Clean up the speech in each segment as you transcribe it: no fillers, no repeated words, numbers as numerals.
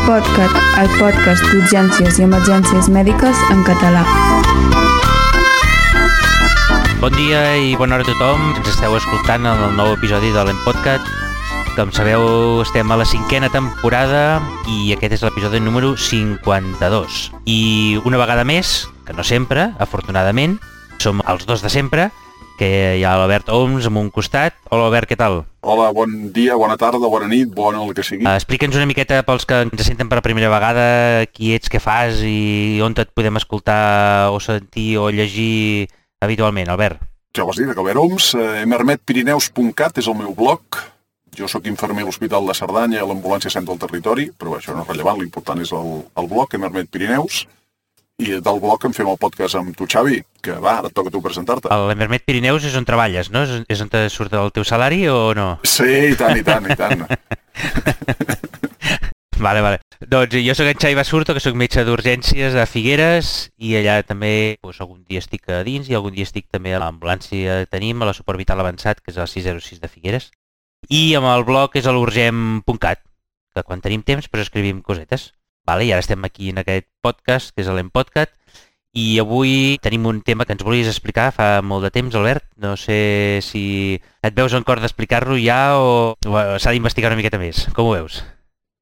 L'EmPodCat, el podcast d'urgències i emergències mèdiques en català. Bon dia i bona hora a tothom. Ens esteu escoltant en el nou episodi de l'EmPodCat. Com sabeu, estem a la 5ª temporada i aquest és l'episodi número 52. I una vegada més, que no sempre, afortunadament, som els dos de sempre, que hi ha l'Albert Oms amb un costat. Hola, Albert, què tal? Hola, bon dia, bona tarda, bona nit, bona el que sigui. Explica'ns una miqueta pels que ens senten per primera vegada qui ets, què fas i on et podem escoltar o sentir o llegir habitualment, Albert. Ja ho has dit, Albert Oms, emermetpirineus.cat és el meu blog. Jo sóc infermer a l'Hospital de Cerdanya i a l'Ambulància Centre del Territori, però això no és rellevant, l'important és el blog, Emermet Pirineus. I del blog en fem el podcast amb tu, Xavi, que va, ara et toca a tu presentar-te. L'Emermet Pirineus és on treballes, no? És on te surt el teu salari o no? Sí, i tant. Vale. Doncs jo sóc en Xavi Basurto, que sóc metge d'urgències a Figueres i allà també algun dia estic a dins i algun dia estic també a l'ambulància que tenim, a la suport vital avançat, que és a la 606 de Figueres. I amb el blog és a l'urgem.cat, que quan tenim temps pues escrivim cosetes. Vale, i ara estem aquí en aquest podcast, que és l'EmPodCat, i avui tenim un tema que ens volies explicar fa molt de temps, Albert. No sé si et veus en cor d'explicar-lo ja o s'ha d'investigar una miqueta més. Com ho veus?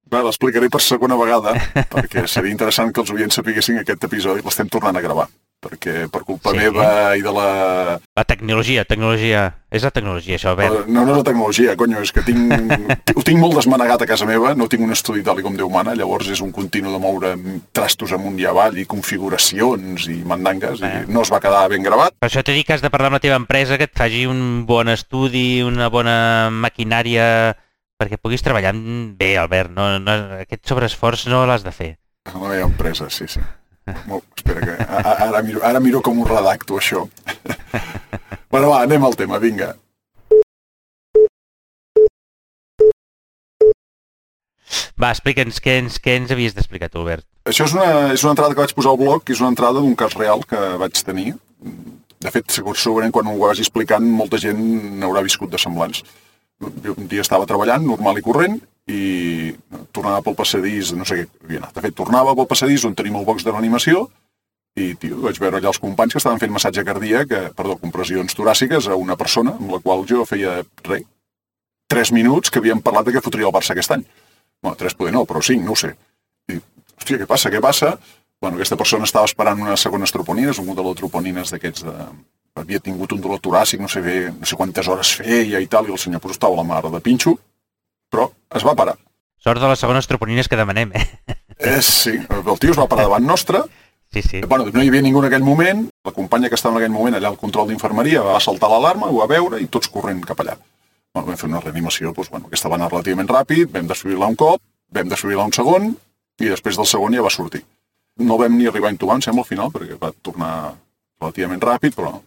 Bé, l'explicaré per segona vegada, perquè seria interessant que els oients sapiguessin que aquest episodi l'estem tornant a gravar, perquè per culpa meva i de la... La tecnologia. És la tecnologia, això, Albert. No és la tecnologia, conyo, és que ho tinc molt desmanegat a casa meva, no tinc un estudi tal com Déu mana, llavors és un continu de moure trastos amunt i avall i configuracions i mandangues, i no es va quedar ben gravat. Per això t'he dit que has de parlar amb la teva empresa, que et faci un bon estudi, una bona maquinària, perquè puguis treballar bé, Albert. No, aquest sobreesforç no l'has de fer. La meva empresa, sí. Espera, que ara miro com ho redacto, això. Bueno, va, anem al tema, vinga. Va, explica'ns què ens havies d'explicar tu, Albert. Això és una entrada que vaig posar al blog, que és una entrada d'un cas real que vaig tenir. De fet, segurament quan ho vagi explicant, molta gent n'haurà viscut de semblants. Jo un dia estava treballant, normal i corrent, i tornava pel passadís, no sé què havia anat. De fet, tornava pel passadís on tenim el box de reanimació i, vaig veure allà els companys que estaven fent massatge cardíac, compressions toràciques a una persona amb la qual jo feia 3 minuts que havíem parlat de què fotria el Barça aquest any. Bueno, 3 poder no, però 5, no ho sé. I, hòstia, què passa? Bueno, aquesta persona estava esperant unes segones troponines, un model de troponines d'aquests de... Havia tingut un dolor toràcic, no sé quantes hores feia i tal, i el senyor pues, estava a la mar de pinxo, però es va parar. Sort de les segones troponines que demanem, Sí, el tio es va parar davant nostre. Sí. Bueno, no hi havia ningú en aquell moment, la companya que estava en aquell moment allà al control d'infermeria va saltar l'alarma, ho va veure i tots corrent cap allà. Bueno, vam fer una reanimació, aquesta va anar relativament ràpid, vam desfibrilar un cop, vam desfibrilar un segon, i després del segon ja va sortir. No vam ni arribar a intubar, em sembla, al final, perquè va tornar relativament ràpid, però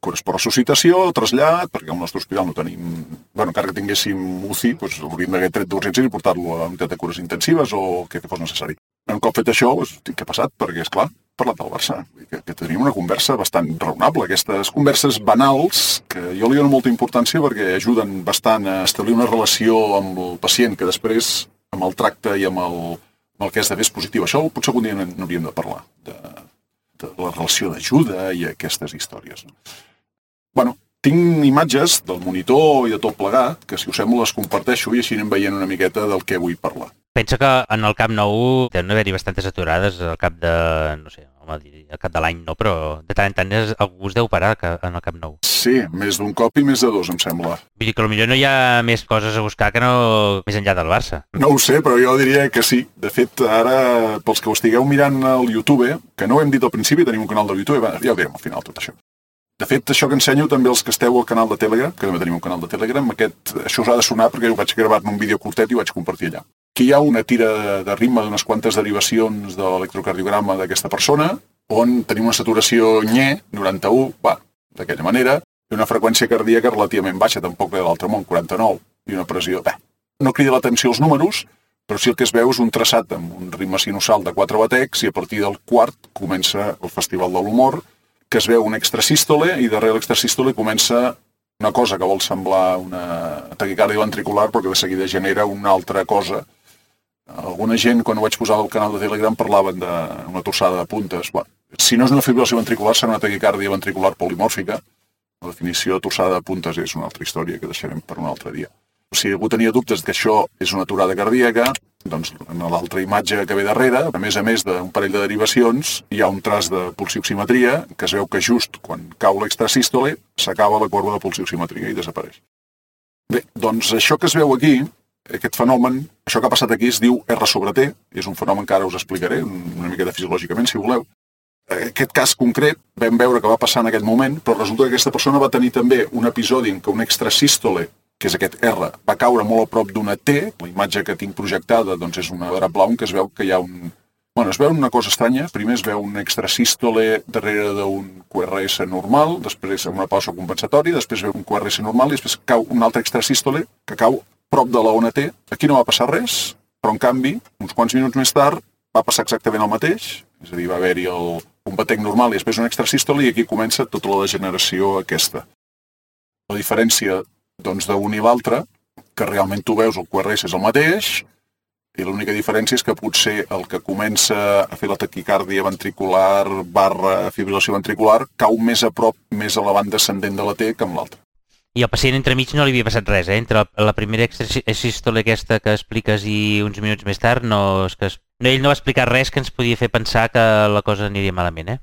cures per ressuscitació, trasllat, perquè al nostre hospital no tenim... encara que tinguéssim UCI, hauríem d'haver tret d'urgències i portar-lo a la unitat de cures intensives o el que fos necessari. Un cop fet això, què ha passat? Perquè, esclar, he parlat del Barça, que tenim una conversa bastant raonable. Aquestes converses banals, que jo li dono molta importància perquè ajuden bastant a establir una relació amb el pacient que després, amb el tracte i amb el que has de fer és positiu. Això potser algun dia n'hauríem de parlar, de la relació d'ajuda i aquestes històries. Bueno, tinc imatges del monitor i de tot plegat, que si us sembla les comparteixo i així anem veient una miqueta del que vull parlar. Pensa que en el Camp Nou deuen haver-hi bastantes aturades al cap de, no sé, al cap de l'any no, però de tant en tant algú es deu parar en el Camp Nou. Sí, més d'un cop i més de 2, em sembla. Vull dir que potser no hi ha més coses a buscar que no més enllà del Barça. No ho sé, però jo diria que sí. De fet, ara, pels que ho estigueu mirant al YouTube, que no ho hem dit al principi, tenim un canal de YouTube, ja ho direm al final tot això. De fet, això que ensenyo també els que esteu al canal de Telegram, que també tenim un canal de Telegram, això us ha de sonar perquè ho vaig gravar en un vídeo curtet i ho vaig compartir allà. Aquí hi ha una tira de ritme d'unes quantes derivacions de l'electrocardiograma d'aquesta persona, on tenim una saturació nye, 91, d'aquella manera, i una freqüència cardíaca relativament baixa, tampoc de l'altre món, 49, i una pressió... No crida l'atenció els números, però sí el que es veu és un traçat amb un ritme sinusal de 4 batecs i a partir del quart comença el Festival de l'Humor, que es veu un extrasístole i darrere l'extrasístole comença una cosa que vol semblar una taquicàrdia ventricular però que de seguida genera una altra cosa Alguna gent, quan ho vaig posar al canal de Telegram, parlaven d'una torçada de puntes. Bueno, si no és una fibrilació ventricular, serà una taquicàrdia ventricular polimòrfica. La definició de torçada de puntes és una altra història que deixarem per un altre dia. Si algú tenia dubtes que això és una aturada cardíaca, doncs en l'altra imatge que ve darrere, a més d'un parell de derivacions, hi ha un traç de pulsioximetria que es veu que just quan cau l'extrasístole s'acaba la corba de pulsioximetria i desapareix. Bé, doncs això que es veu aquí, aquest fenomen, això que ha passat aquí es diu R sobre T, és un fenomen que ara us explicaré una miqueta fisiològicament, si voleu. Aquest cas concret vam veure que va passar en aquell moment, però resulta que aquesta persona va tenir també un episodi en què un extrasístole, que és aquest R, va caure molt a prop d'una T. La imatge que tinc projectada doncs, és una drap blau en què es veu que hi ha un... Bueno, es veu una cosa estranya. Primer es veu un extrasístole darrere d'un QRS normal, després una pausa compensatòria, després veu un QRS normal i després cau un altre extrasístole que cau prop de la ona T. Aquí no va passar res, però en canvi, uns quants minuts més tard, va passar exactament el mateix. És a dir, va haver-hi un batec normal i després un extrasístole i aquí comença tota la degeneració aquesta. La diferència doncs d'un i l'altre, que realment tu veus el QRS és el mateix, i l'única diferència és que potser el que comença a fer la taquicàrdia ventricular / fibrilació ventricular cau més a prop, més a la banda ascendent de la T que amb l'altre. I al pacient entremig no li havia passat res, Entre la primera extrasístole aquesta que expliques i uns minuts més tard, ell no va explicar res que ens podia fer pensar que la cosa aniria malament,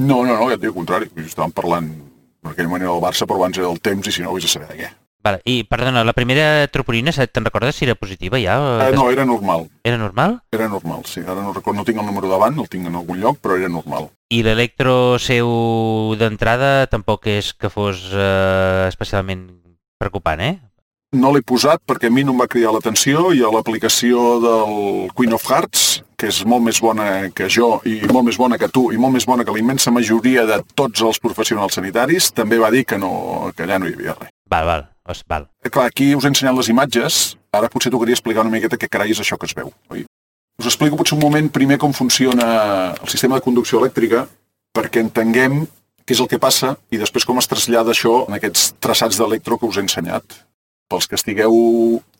No, ja et dic el contrari. Estàvem parlant en aquell moment del Barça, però abans era del temps i si no, vés a saber de què. Vale. I, perdona, la primera troponina, te'n recordes si era positiva ja? No, era normal. Era normal? Era normal, sí. Ara no recordo, no tinc el número davant, el tinc en algun lloc, però era normal. I l'electro seu d'entrada tampoc és que fos especialment preocupant, No l'he posat perquè a mi no em va cridar l'atenció i a l'aplicació del Queen of Hearts, que és molt més bona que jo i molt més bona que tu i molt més bona que la immensa majoria de tots els professionals sanitaris, també va dir que allà no hi havia res. Val. Clar, aquí us he ensenyat les imatges, ara potser tocaria explicar una miqueta què carai és això que es veu, oi? Us explico potser un moment primer com funciona el sistema de conducció elèctrica perquè entenguem què és el que passa i després com es trasllada això en aquests traçats d'electro que us he ensenyat. Pels que estigueu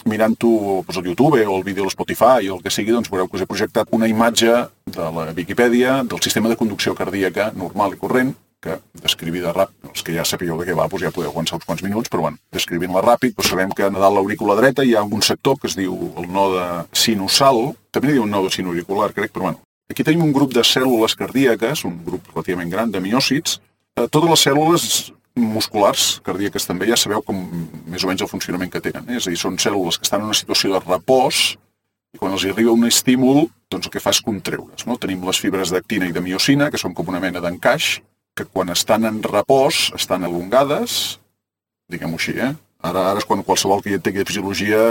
mirant-ho al YouTube o el vídeo a Spotify o el que sigui, doncs veureu que us he projectat una imatge de la Viquipèdia del sistema de conducció cardíaca normal i corrent, que descrivida ràpid, els que ja sapigueu de què va, doncs ja podeu aguantar uns quants minuts, però bueno, descrivint-la ràpid, doncs sabem que a dalt l'aurícula dreta hi ha un sector que es diu el node sinusal, també n'hi diu un node sinoauricular, crec, però bueno. Aquí tenim un grup de cèl·lules cardíaques, un grup relativament gran de miòcits. Totes les cèl·lules musculars cardíaques també ja sabeu com més o menys el funcionament que tenen. És a dir, són cèl·lules que estan en una situació de repòs i quan els arriba un estímul, doncs el que fa és contreure's. Tenim les fibres d'actina i de miocina, que són com una mena d'encaix, que quan estan en repòs estan elongades, diguem-ho així, Ara és quan qualsevol que hi entengui de fisiologia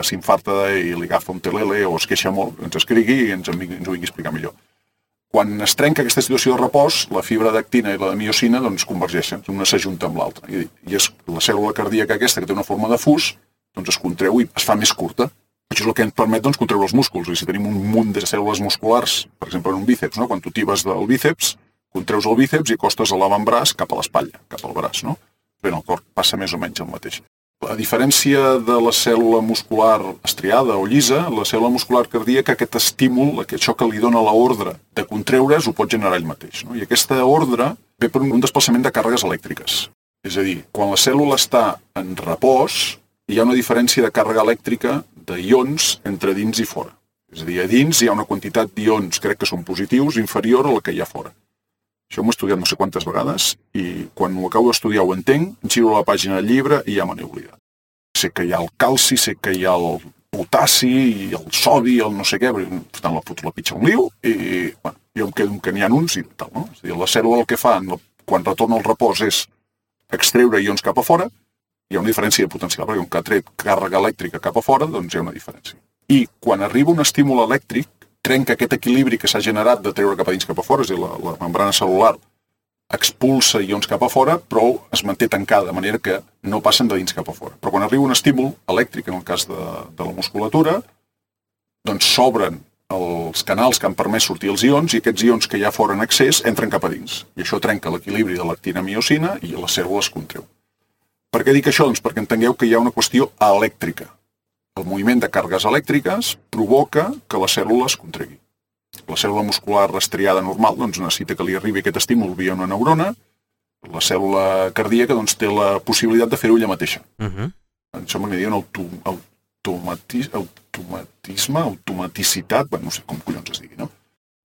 s'infarta i li agafa un telele o es queixa molt, ens escrigui i ens ho vingui a explicar millor. Quan es trenca aquesta situació de repòs, la fibra d'actina i la de miocina doncs, convergeixen, una s'ajunta amb l'altra. I és la cèl·lula cardíaca aquesta, que té una forma de fus, doncs es contreu i es fa més curta. Això és el que ens permet doncs, contreure els músculs. I si tenim un munt de cèl·lules musculars, per exemple en un bíceps, quan tu tibes del bíceps, contreus el bíceps i acostes l'avantbraç cap a l'espatlla, cap al braç. Bé, en el cor passa més o menys el mateix. A diferència de la cèl·lula muscular estriada o llisa, la cèl·lula muscular cardíaca, aquest estímul, això que li dona l'ordre de contreure's, ho pot generar ell mateix. I aquesta ordre ve per un desplaçament de càrregues elèctriques. És a dir, quan la cèl·lula està en repòs, hi ha una diferència de càrrega elèctrica d'ions entre dins i fora. És a dir, a dins hi ha una quantitat d'ions, crec que són positius, inferior a la que hi ha fora. Això m'ho he estudiat no sé quantes vegades i quan ho acabo d'estudiar ho entenc, giro la pàgina del llibre i ja me n'he oblidat. Sé que hi ha el calci, sé que hi ha el potassi i el sodi, el no sé què, per tant la foto la pitja un liu i bueno, jo em quedo que n'hi ha uns i tal, no? És a dir, la cèl·lula el que fa quan retorna al repòs és extreure ions cap a fora, hi ha una diferència de potencial, perquè un que ha tret càrrega elèctrica cap a fora, doncs hi ha una diferència. I quan arriba un estímul elèctric, trenca aquest equilibri que s'ha generat de treure cap a dins cap a fora, és a dir, la membrana cel·lular expulsa ions cap a fora, però es manté tancada, de manera que no passen de dins cap a fora. Però quan arriba un estímul elèctric, en el cas de la musculatura, doncs s'obren els canals que han permès sortir els ions i aquests ions que hi ha fora en excés entren cap a dins. I això trenca l'equilibri de l'actina-miocina i la cèl·lula es contreu. Per què dic això? Doncs perquè entengueu que hi ha una qüestió elèctrica. El moviment de càrregues elèctriques provoca que la cèl·lula es contregui. La cèl·lula muscular estriada normal doncs, necessita que li arribi aquest estímul via una neurona. La cèl·lula cardíaca doncs, té la possibilitat de fer-ho ella mateixa. Això m'agradaria un automaticitat, no sé com collons es digui, no?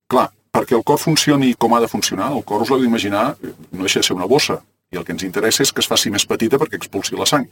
Clar, perquè el cor funcioni com ha de funcionar, el cor us l'heu d'imaginar, no deixa de ser una bossa, i el que ens interessa és que es faci més petita perquè expulsi la sang.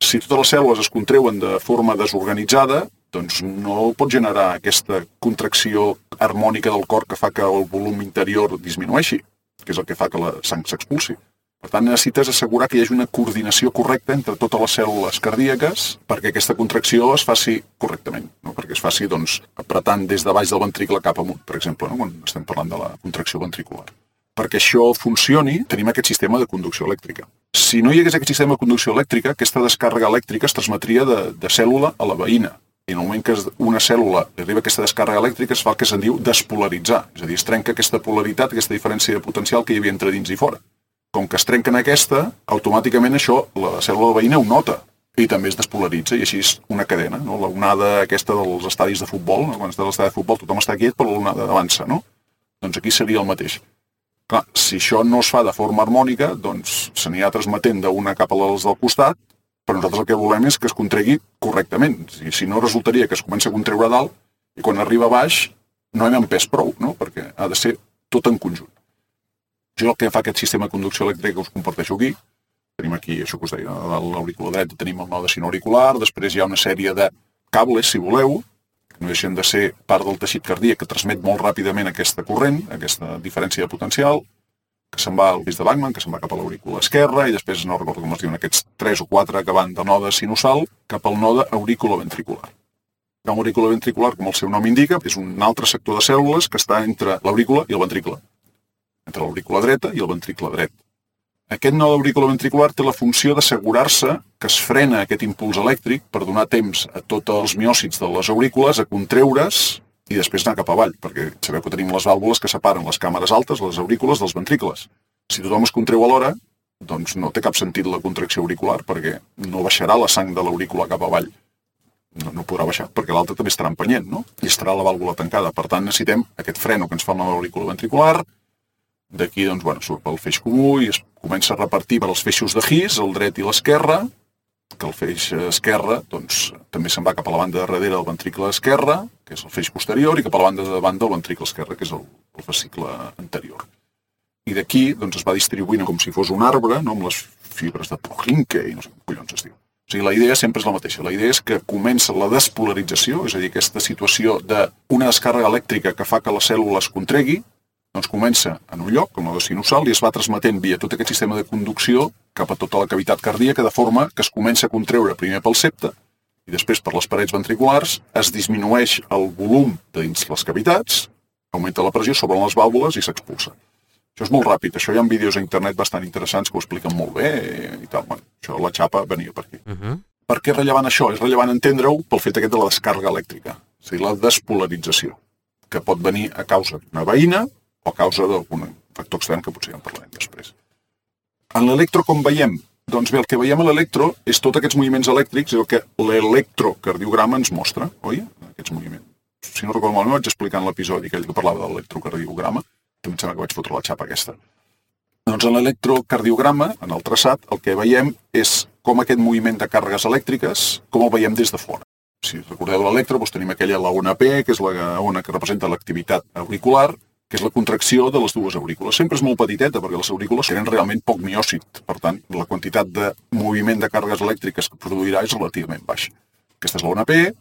Si totes les cèl·lules es contreuen de forma desorganitzada, doncs no pot generar aquesta contracció harmònica del cor que fa que el volum interior disminueixi, que és el que fa que la sang s'expulsi. Per tant, necessites assegurar que hi hagi una coordinació correcta entre totes les cèl·lules cardíaques perquè aquesta contracció es faci correctament, no? Perquè es faci apretant des de baix del ventricle cap amunt, per exemple, no? Quan estem parlant de la contracció ventricular. Perquè això funcioni, tenim aquest sistema de conducció elèctrica. Si no hi hagués aquest sistema de conducció elèctrica, aquesta descàrrega elèctrica es transmetria de cèl·lula a la veïna. I en el moment que una cèl·lula arriba a aquesta descàrrega elèctrica es fa el que se'n diu despolaritzar. És a dir, es trenca aquesta polaritat, aquesta diferència de potencial que hi havia entre dins i fora. Com que es trenquen aquesta, automàticament això, la cèl·lula veïna ho nota i també es despolaritza, i així és una cadena, no? L'onada aquesta dels estadis de futbol, no? Quan estàs a l'estadi de futbol tothom està quiet, però l'onada avança, no? Doncs aquí seria el mateix. Clar, si això no es fa de forma harmònica, doncs se n'hi ha transmetent d'una cap a les del costat, però nosaltres el que volem és que es contregui correctament. Si no, resultaria que es comença a contreure a dalt i quan arriba a baix no hem empès prou, no? Perquè ha de ser tot en conjunt. Això és el que fa aquest sistema de conducció elèctrica que us comparteixo aquí. Tenim aquí, això que us deia, a l'auricular dret tenim el node sinoauricular, després hi ha una sèrie de cables, si voleu, que no deixen de ser part del teixit cardíac que transmet molt ràpidament aquesta corrent, aquesta diferència de potencial, que se'n va al disc de Bachmann, que se'n va cap a l'aurícula esquerra, i després no recordo com es diuen aquests 3 o 4 que van del node sinusal cap al node auriculoventricular. El auriculoventricular, com el seu nom indica, és un altre sector de cèl·lules que està entre l'aurícula i el ventricle, entre l'aurícula dreta i el ventricle dret. Aquest node auriculoventricular té la funció d'assegurar-se que es frena aquest impuls elèctric per donar temps a tots els miòcits de les aurícules a contreure's i després anar cap avall, perquè sabeu que tenim les vàlvules que separen les càmeres altes, les aurícules, dels ventricles. Si tothom es contreu alhora, doncs no té cap sentit la contracció auricular, perquè no baixarà la sang de l'aurícula cap avall. No podrà baixar, perquè l'altra també estarà empenyent, no? I estarà la vàlvula tancada. Per tant, necessitem aquest freno que ens fa el node auriculoventricular. D'aquí, doncs, surt pel feix comú i es comença a repartir per als feixos de His, el dret i l'esquerre, que el feix esquerre, doncs, també se'n va cap a la banda de darrere del ventricle esquerre, que és el feix posterior, i cap a la banda de davant del ventricle esquerre, que és el fascicle anterior. I d'aquí, doncs, es va distribuint com si fos un arbre, no? Amb les fibres de Purkinje i no sé com collons es diu. O sigui, la idea sempre és la mateixa. La idea és que comença la despolarització, és a dir, aquesta situació d'una descàrrega elèctrica que fa que la cèl·lula es contregui, doncs comença en un lloc, com el node sinusal, i es va transmetent via tot aquest sistema de conducció cap a tota la cavitat cardíaca, de forma que es comença a contreure primer pel septe i després per les parets ventriculars, es disminueix el volum dins les cavitats, augmenta la pressió sobre les vàlvules i s'expulsa. Això és molt ràpid, això hi ha vídeos a internet bastant interessants que ho expliquen molt bé i tal. Bueno, això, la xapa venia per aquí. Per què és rellevant això? És rellevant entendre-ho pel fet aquest de la descàrrega elèctrica, és a dir, la despolarització, que pot venir a causa d'una veïna o a causa d'algun factor extern que potser ja en parlarem després. En l'electro, com veiem? Doncs bé, el que veiem a l'electro és tots aquests moviments elèctrics, és el que l'electrocardiograma ens mostra, oi? Aquests moviments. Si no recordo malament, vaig explicar en l'episodi aquell que parlava de l'electrocardiograma, també em sembla que vaig fotre la xapa aquesta. Doncs en l'electrocardiograma, en el traçat, el que veiem és com aquest moviment de càrregues elèctriques, com el veiem des de fora. Si recordeu l'electro, doncs tenim aquella, la ona P, que és la ona que representa l'activitat auricular, que és la contracció de les dues aurícules. Sempre és molt petiteta, perquè les aurícules tenen realment poc miòcit. Per tant, la quantitat de moviment de càrregues elèctriques que produirà és relativament baixa. Aquesta és la ona P.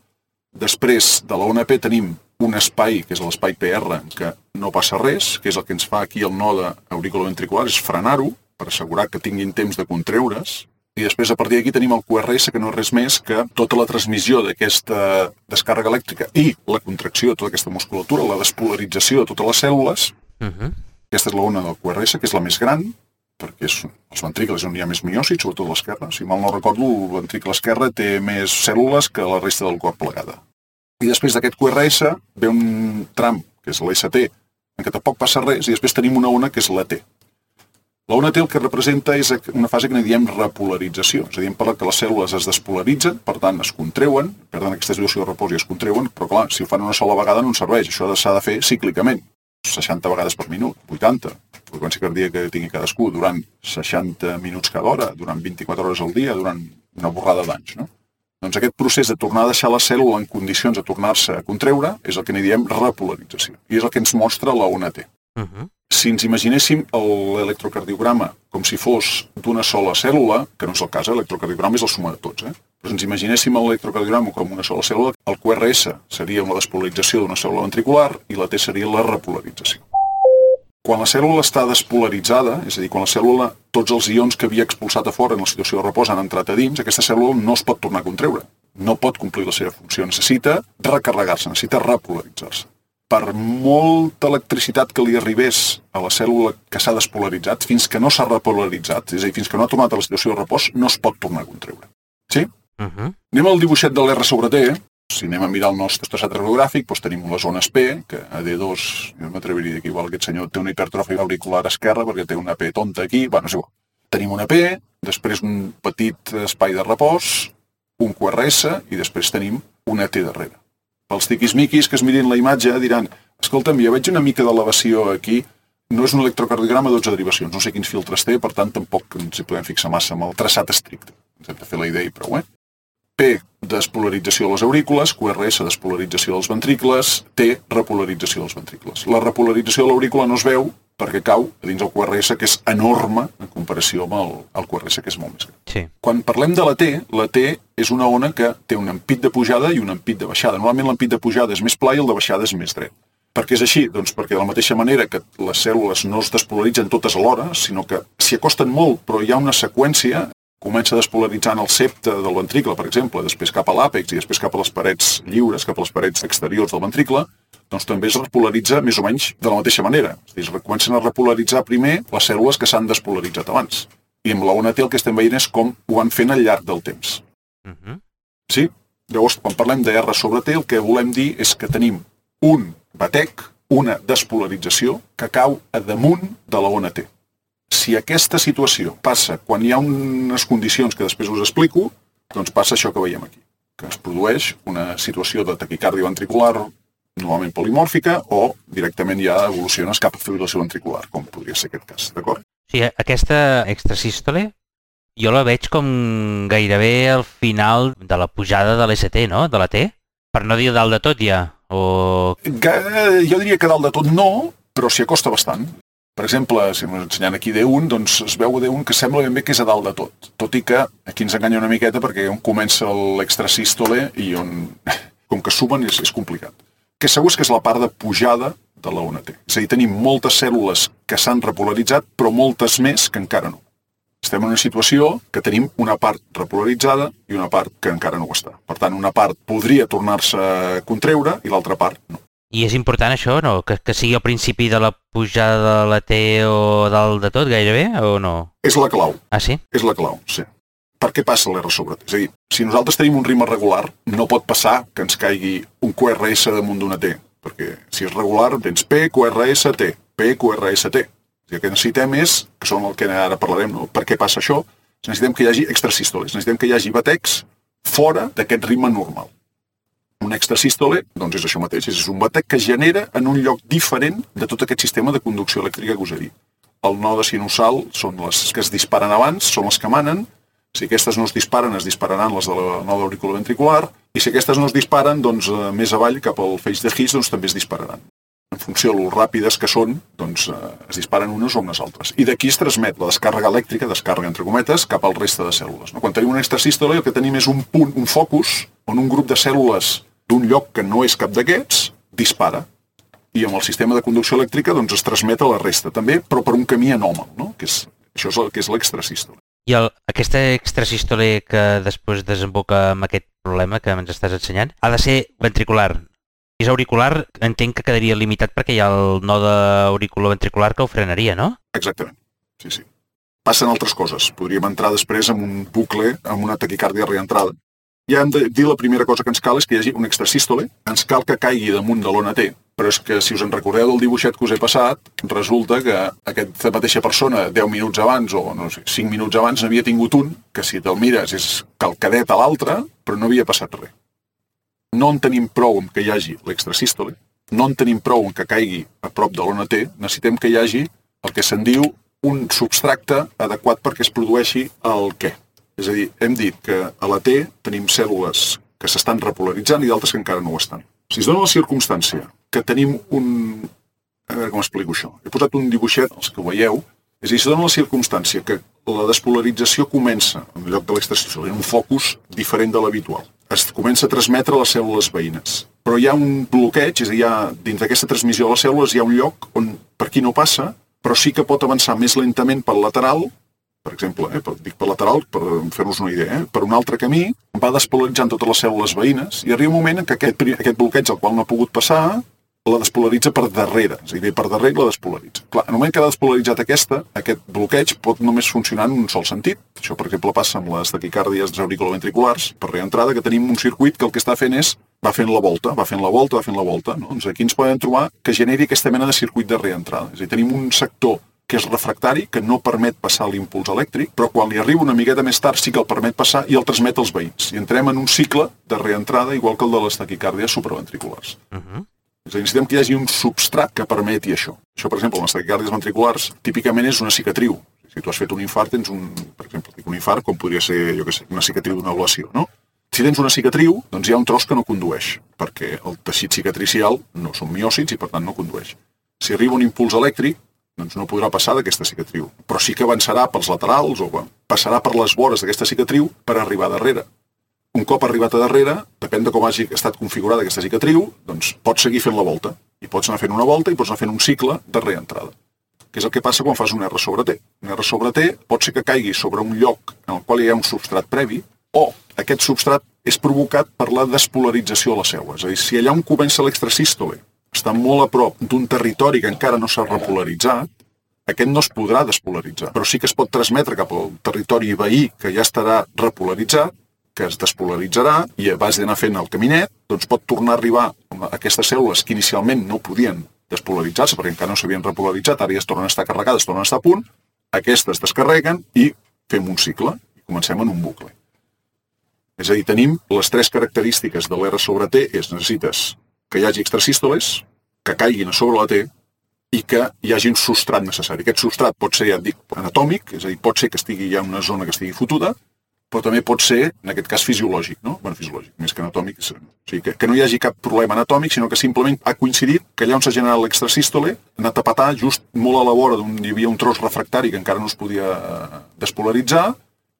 Després de la ona P tenim un espai, que és l'espai PR, que no passa res, que és el que ens fa aquí el node auriculoventricular, és frenar-ho, per assegurar que tinguin temps de contreure's. I després, a partir d'aquí, tenim el QRS, que no és res més que tota la transmissió d'aquesta descàrrega elèctrica i la contracció de tota aquesta musculatura, la despolarització de totes les cèl·lules. Aquesta és la ona del QRS, que és la més gran, perquè els ventricles on hi ha més miòcits, sobretot l'esquerra. Si mal no recordo, el ventricle esquerre té més cèl·lules que la resta del cor plegada. I després d'aquest QRS ve un tram, que és l'ST, en què tampoc passa res, i després tenim una ona que és l'AT. La ona T el que representa és una fase que en diem repolarització, és a dir, en parla que les cèl·lules es despolaritzen, per tant es contreuen, perden aquesta situació de repòs i es contreuen, però clar, si ho fan una sola vegada no ens serveix, això s'ha de fer cíclicament, 60 vegades per minut, 80, la freqüència cardíaca que tingui cadascú, durant 60 minuts cada hora, durant 24 hores al dia, durant una borrada d'anys, no? Doncs aquest procés de tornar a deixar la cèl·lula en condicions de tornar-se a contreure és el que n'hi diem repolarització, i és el que ens mostra la ona T. Si ens imaginéssim l'electrocardiograma com si fos d'una sola cèl·lula, que no és el cas, l'electrocardiograma és la suma de tots, però si ens imaginéssim l'electrocardiograma com una sola cèl·lula, el QRS seria la despolarització d'una cèl·lula ventricular i la T seria la repolarització. Quan la cèl·lula està despolaritzada, és a dir, quan la cèl·lula, tots els ions que havia expulsat a fora en la situació de repòs han entrat a dins, aquesta cèl·lula no es pot tornar a contreure, no pot complir la seva funció, necessita recarregar-se, necessita repolaritzar-se. Per molta electricitat que li arribés a la cèl·lula que s'ha despolaritzat, fins que no s'ha repolaritzat, és a dir, fins que no ha tornat a la situació de repòs, no es pot tornar a contreure. Sí? Anem al dibuixet de l'R sobre T. Si anem a mirar el nostre traçat radiogràfic, doncs tenim les zones P, que a D2, jo m'atreviria a dir que igual aquest senyor té una hipertròfia auricular esquerra perquè té una P tonta aquí, bueno, és igual. Tenim una P, després un petit espai de repòs, un QRS i després tenim una T darrere. Els tiquismiquis que es mirin la imatge diran escolta'm, jo veig una mica d'elevació aquí, no és un electrocardiograma de 12 derivacions, no sé quins filtres té, per tant tampoc ens hi podem fixar massa amb el traçat estricte. Ens hem de fer la idea i prou, P, despolarització de les aurícules, QRS, despolarització dels ventricles, T, repolarització dels ventricles. La repolarització de l'aurícula no es veu perquè cau a dins el QRS, que és enorme en comparació amb el QRS, que és molt més gran. Sí. Quan parlem de la T és una ona que té un ampit de pujada i un ampit de baixada. Normalment l'ampit de pujada és més pla i el de baixada és més dret. Per què és així? Doncs perquè de la mateixa manera que les cèl·lules no es despolaritzen totes alhora, sinó que s'hi acosten molt, però hi ha una seqüència, comença despolaritzant el septe del ventricle, per exemple, després cap a l'àpex i després cap a les parets lliures, cap a les parets exteriors del ventricle, doncs també es repolaritza més o menys de la mateixa manera. És a dir, comencen a repolaritzar primer les cèl·lules que s'han despolaritzat abans. I amb la ona T el que estem veient és com ho van fent al llarg del temps. Sí? Llavors, quan parlem de R sobre T, el que volem dir és que tenim un batec, una despolarització, que cau a damunt de la ona T. Si aquesta situació passa quan hi ha unes condicions que després us explico, doncs passa això que veiem aquí, que es produeix una situació de taquicàrdia ventricular normalment polimòrfica o directament ja evoluciones cap a fibrilació ventricular, com podria ser aquest cas, d'acord? Sí, aquesta extrasístole jo la veig com gairebé al final de la pujada de l'ST, no? De la T? Per no dir dalt de tot ja, o... Jo diria que dalt de tot no, però s'hi acosta bastant. Per exemple, si ens ensenyant aquí D1, doncs es veu D1 que sembla ben bé que és a dalt de tot. Tot i que aquí ens enganya una miqueta perquè on comença l'extrasístole i on, com que sumen, és complicat. Que segur és que és la part de pujada de la ona T. És a dir, tenim moltes cèl·lules que s'han repolaritzat, però moltes més que encara no. Estem en una situació que tenim una part repolaritzada i una part que encara no ho està. Per tant, una part podria tornar-se a contreure i l'altra part no. I és important això, no? Que sigui al principi de la pujada de la T o dalt de tot, gairebé, o no? És la clau. Ah, sí? És la clau, sí. Per què passa l'R sobre T? És a dir, si nosaltres tenim un ritme regular, no pot passar que ens caigui un QRS damunt d'una T, perquè si és regular, tens P, QRS, T, P, QRS, T. I el que necessitem és, que són el que ara parlarem, no? Per què passa això? Necessitem que hi hagi extrasístoles, necessitem que hi hagi batecs fora d'aquest ritme normal. Un extrasístole, doncs és això mateix, és un batec que genera en un lloc diferent de tot aquest sistema de conducció elèctrica que us he dit. El node sinusal són les que es disparen abans, són les que manen. Si aquestes no es disparen, es dispararan les de la node auriculoventricular, i si aquestes no es disparen, doncs més avall, cap al feix de His, doncs també es dispararan. En funció de lo ràpides que són, doncs es disparen unes o unes altres. I d'aquí es transmet la descàrrega elèctrica, descàrrega entre cometes, cap al reste de cèl·lules. Quan tenim un extrasístole, el que tenim és un punt, un focus, on un grup de cèl·lules d'un lloc que no és cap d'aquests, dispara. I amb el sistema de conducció elèctrica doncs, es transmet a la resta, també, però per un camí anòmal, no? Això és el que és l'extrasístole. I aquesta extrasístole que després desemboca amb aquest problema que ens estàs ensenyant, ha de ser ventricular. Si és auricular, entenc que quedaria limitat perquè hi ha el node auriculoventricular que ho frenaria, no? Exactament, sí. Passen altres coses. Podríem entrar després en un bucle, amb una taquicàrdia reentrada. Ja hem de dir la primera cosa que ens cal és que hi hagi un extrasístole, ens cal que caigui damunt de l'ona T Però és que, si us en recordeu del dibuixet que us he passat, resulta que aquesta mateixa persona 10 minuts abans o no sé, 5 minuts abans n'havia tingut un, que si te'l mires és calcadet a l'altre, però no havia passat res. No en tenim prou amb que hi hagi l'extrasístole, no en tenim prou amb que caigui a prop de l'ona T, necessitem que hi hagi el que se'n diu un substracte adequat perquè es produeixi el què. És a dir, hem dit que a la T tenim cèl·lules que s'estan repolaritzant i d'altres que encara no ho estan. Si es dona la circumstància que tenim un... A veure com explico això. He posat un dibuixet, els que ho veieu, és a dir, si es dona la circumstància que la despolarització comença, en lloc de l'extrasístole, en un focus diferent de l'habitual. Es comença a transmetre a les cèl·lules veïnes. Però hi ha un bloqueig, és a dir, dins d'aquesta transmissió a les cèl·lules hi ha un lloc on per aquí no passa, però sí que pot avançar més lentament pel lateral, per exemple, dic per lateral per fer-vos una idea, per un altre camí, va despolaritzant totes les cèl·lules veïnes i arriba un moment en què aquest bloqueig al qual no ha pogut passar la despolaritza per darrere, és a dir, per darrere la despolaritza. Clar, en el moment que ha despolaritzat aquest bloqueig pot només funcionar en un sol sentit. Això, per exemple, passa amb les taquicàrdies auriculoventriculars per reentrada, que tenim un circuit que el que està fent és va fent la volta, va fent la volta, va fent la volta. No? Doncs aquí ens podem trobar que generi aquesta mena de circuit de reentrada. És a dir, tenim un sector que és refractari, que no permet passar l'impuls elèctric, però quan li arriba una miqueta més tard sí que el permet passar i el transmet als veïns. I entrem en un cicle de reentrada igual que el de les taquicàrdies supraventriculars. És a dir, necessitem que hi hagi un substrat que permeti això. Això, per exemple, en les taquicàrdies ventriculars, típicament és una cicatriu. Si tu has fet un infart, tens per exemple, un infart com podria ser, jo què sé, una cicatriu d'una ablació, no? Si tens una cicatriu, doncs hi ha un tros que no condueix, perquè el teixit cicatricial no són miòcits i, per tant, no condueix. Si arriba un impuls elèctric, doncs no podrà passar d'aquesta cicatriu, però sí que avançarà pels laterals o passarà per les vores d'aquesta cicatriu per arribar darrere. Un cop arribat a darrere, depèn de com hagi estat configurada aquesta cicatriu, doncs pots seguir fent la volta. I pots anar fent una volta i pots anar fent un cicle de reentrada. Que és el que passa quan fas un R sobre T. Un R sobre T pot ser que caigui sobre un lloc en el qual hi ha un substrat previ, o aquest substrat és provocat per la despolarització de la cèl·lula. És a dir, si allà on comença l'extrasístole està molt a prop d'un territori que encara no s'ha repolaritzat, aquest no es podrà despolaritzar, però sí que es pot transmetre cap al territori veí que ja estarà repolaritzat, que es despolaritzarà i a base d'anar fent el caminet, doncs pot tornar a arribar a aquestes cèl·lules que inicialment no podien despolaritzar-se perquè encara no s'havien repolaritzat, ara ja es tornen a estar carregades, tornen a estar a punt, aquestes descarreguen i fem un cicle i comencem en un bucle. És a dir, tenim les tres característiques de l'R sobre T, necessites que hi hagi extrasístoles, que caiguin a sobre la T i que hi hagi un substrat necessari. Aquest substrat pot ser, ja et dic, anatòmic, és a dir, pot ser que estigui ja en una zona que estigui fotuda, però també pot ser, en aquest cas, fisiològic, no? Bueno, fisiològic, més que anatòmic. O sigui, que no hi hagi cap problema anatòmic, sinó que simplement ha coincidit que allà on s'ha generat l'extrasístole ha anat a petar just molt a la vora d'on hi havia un tros refractari que encara no es podia despolaritzar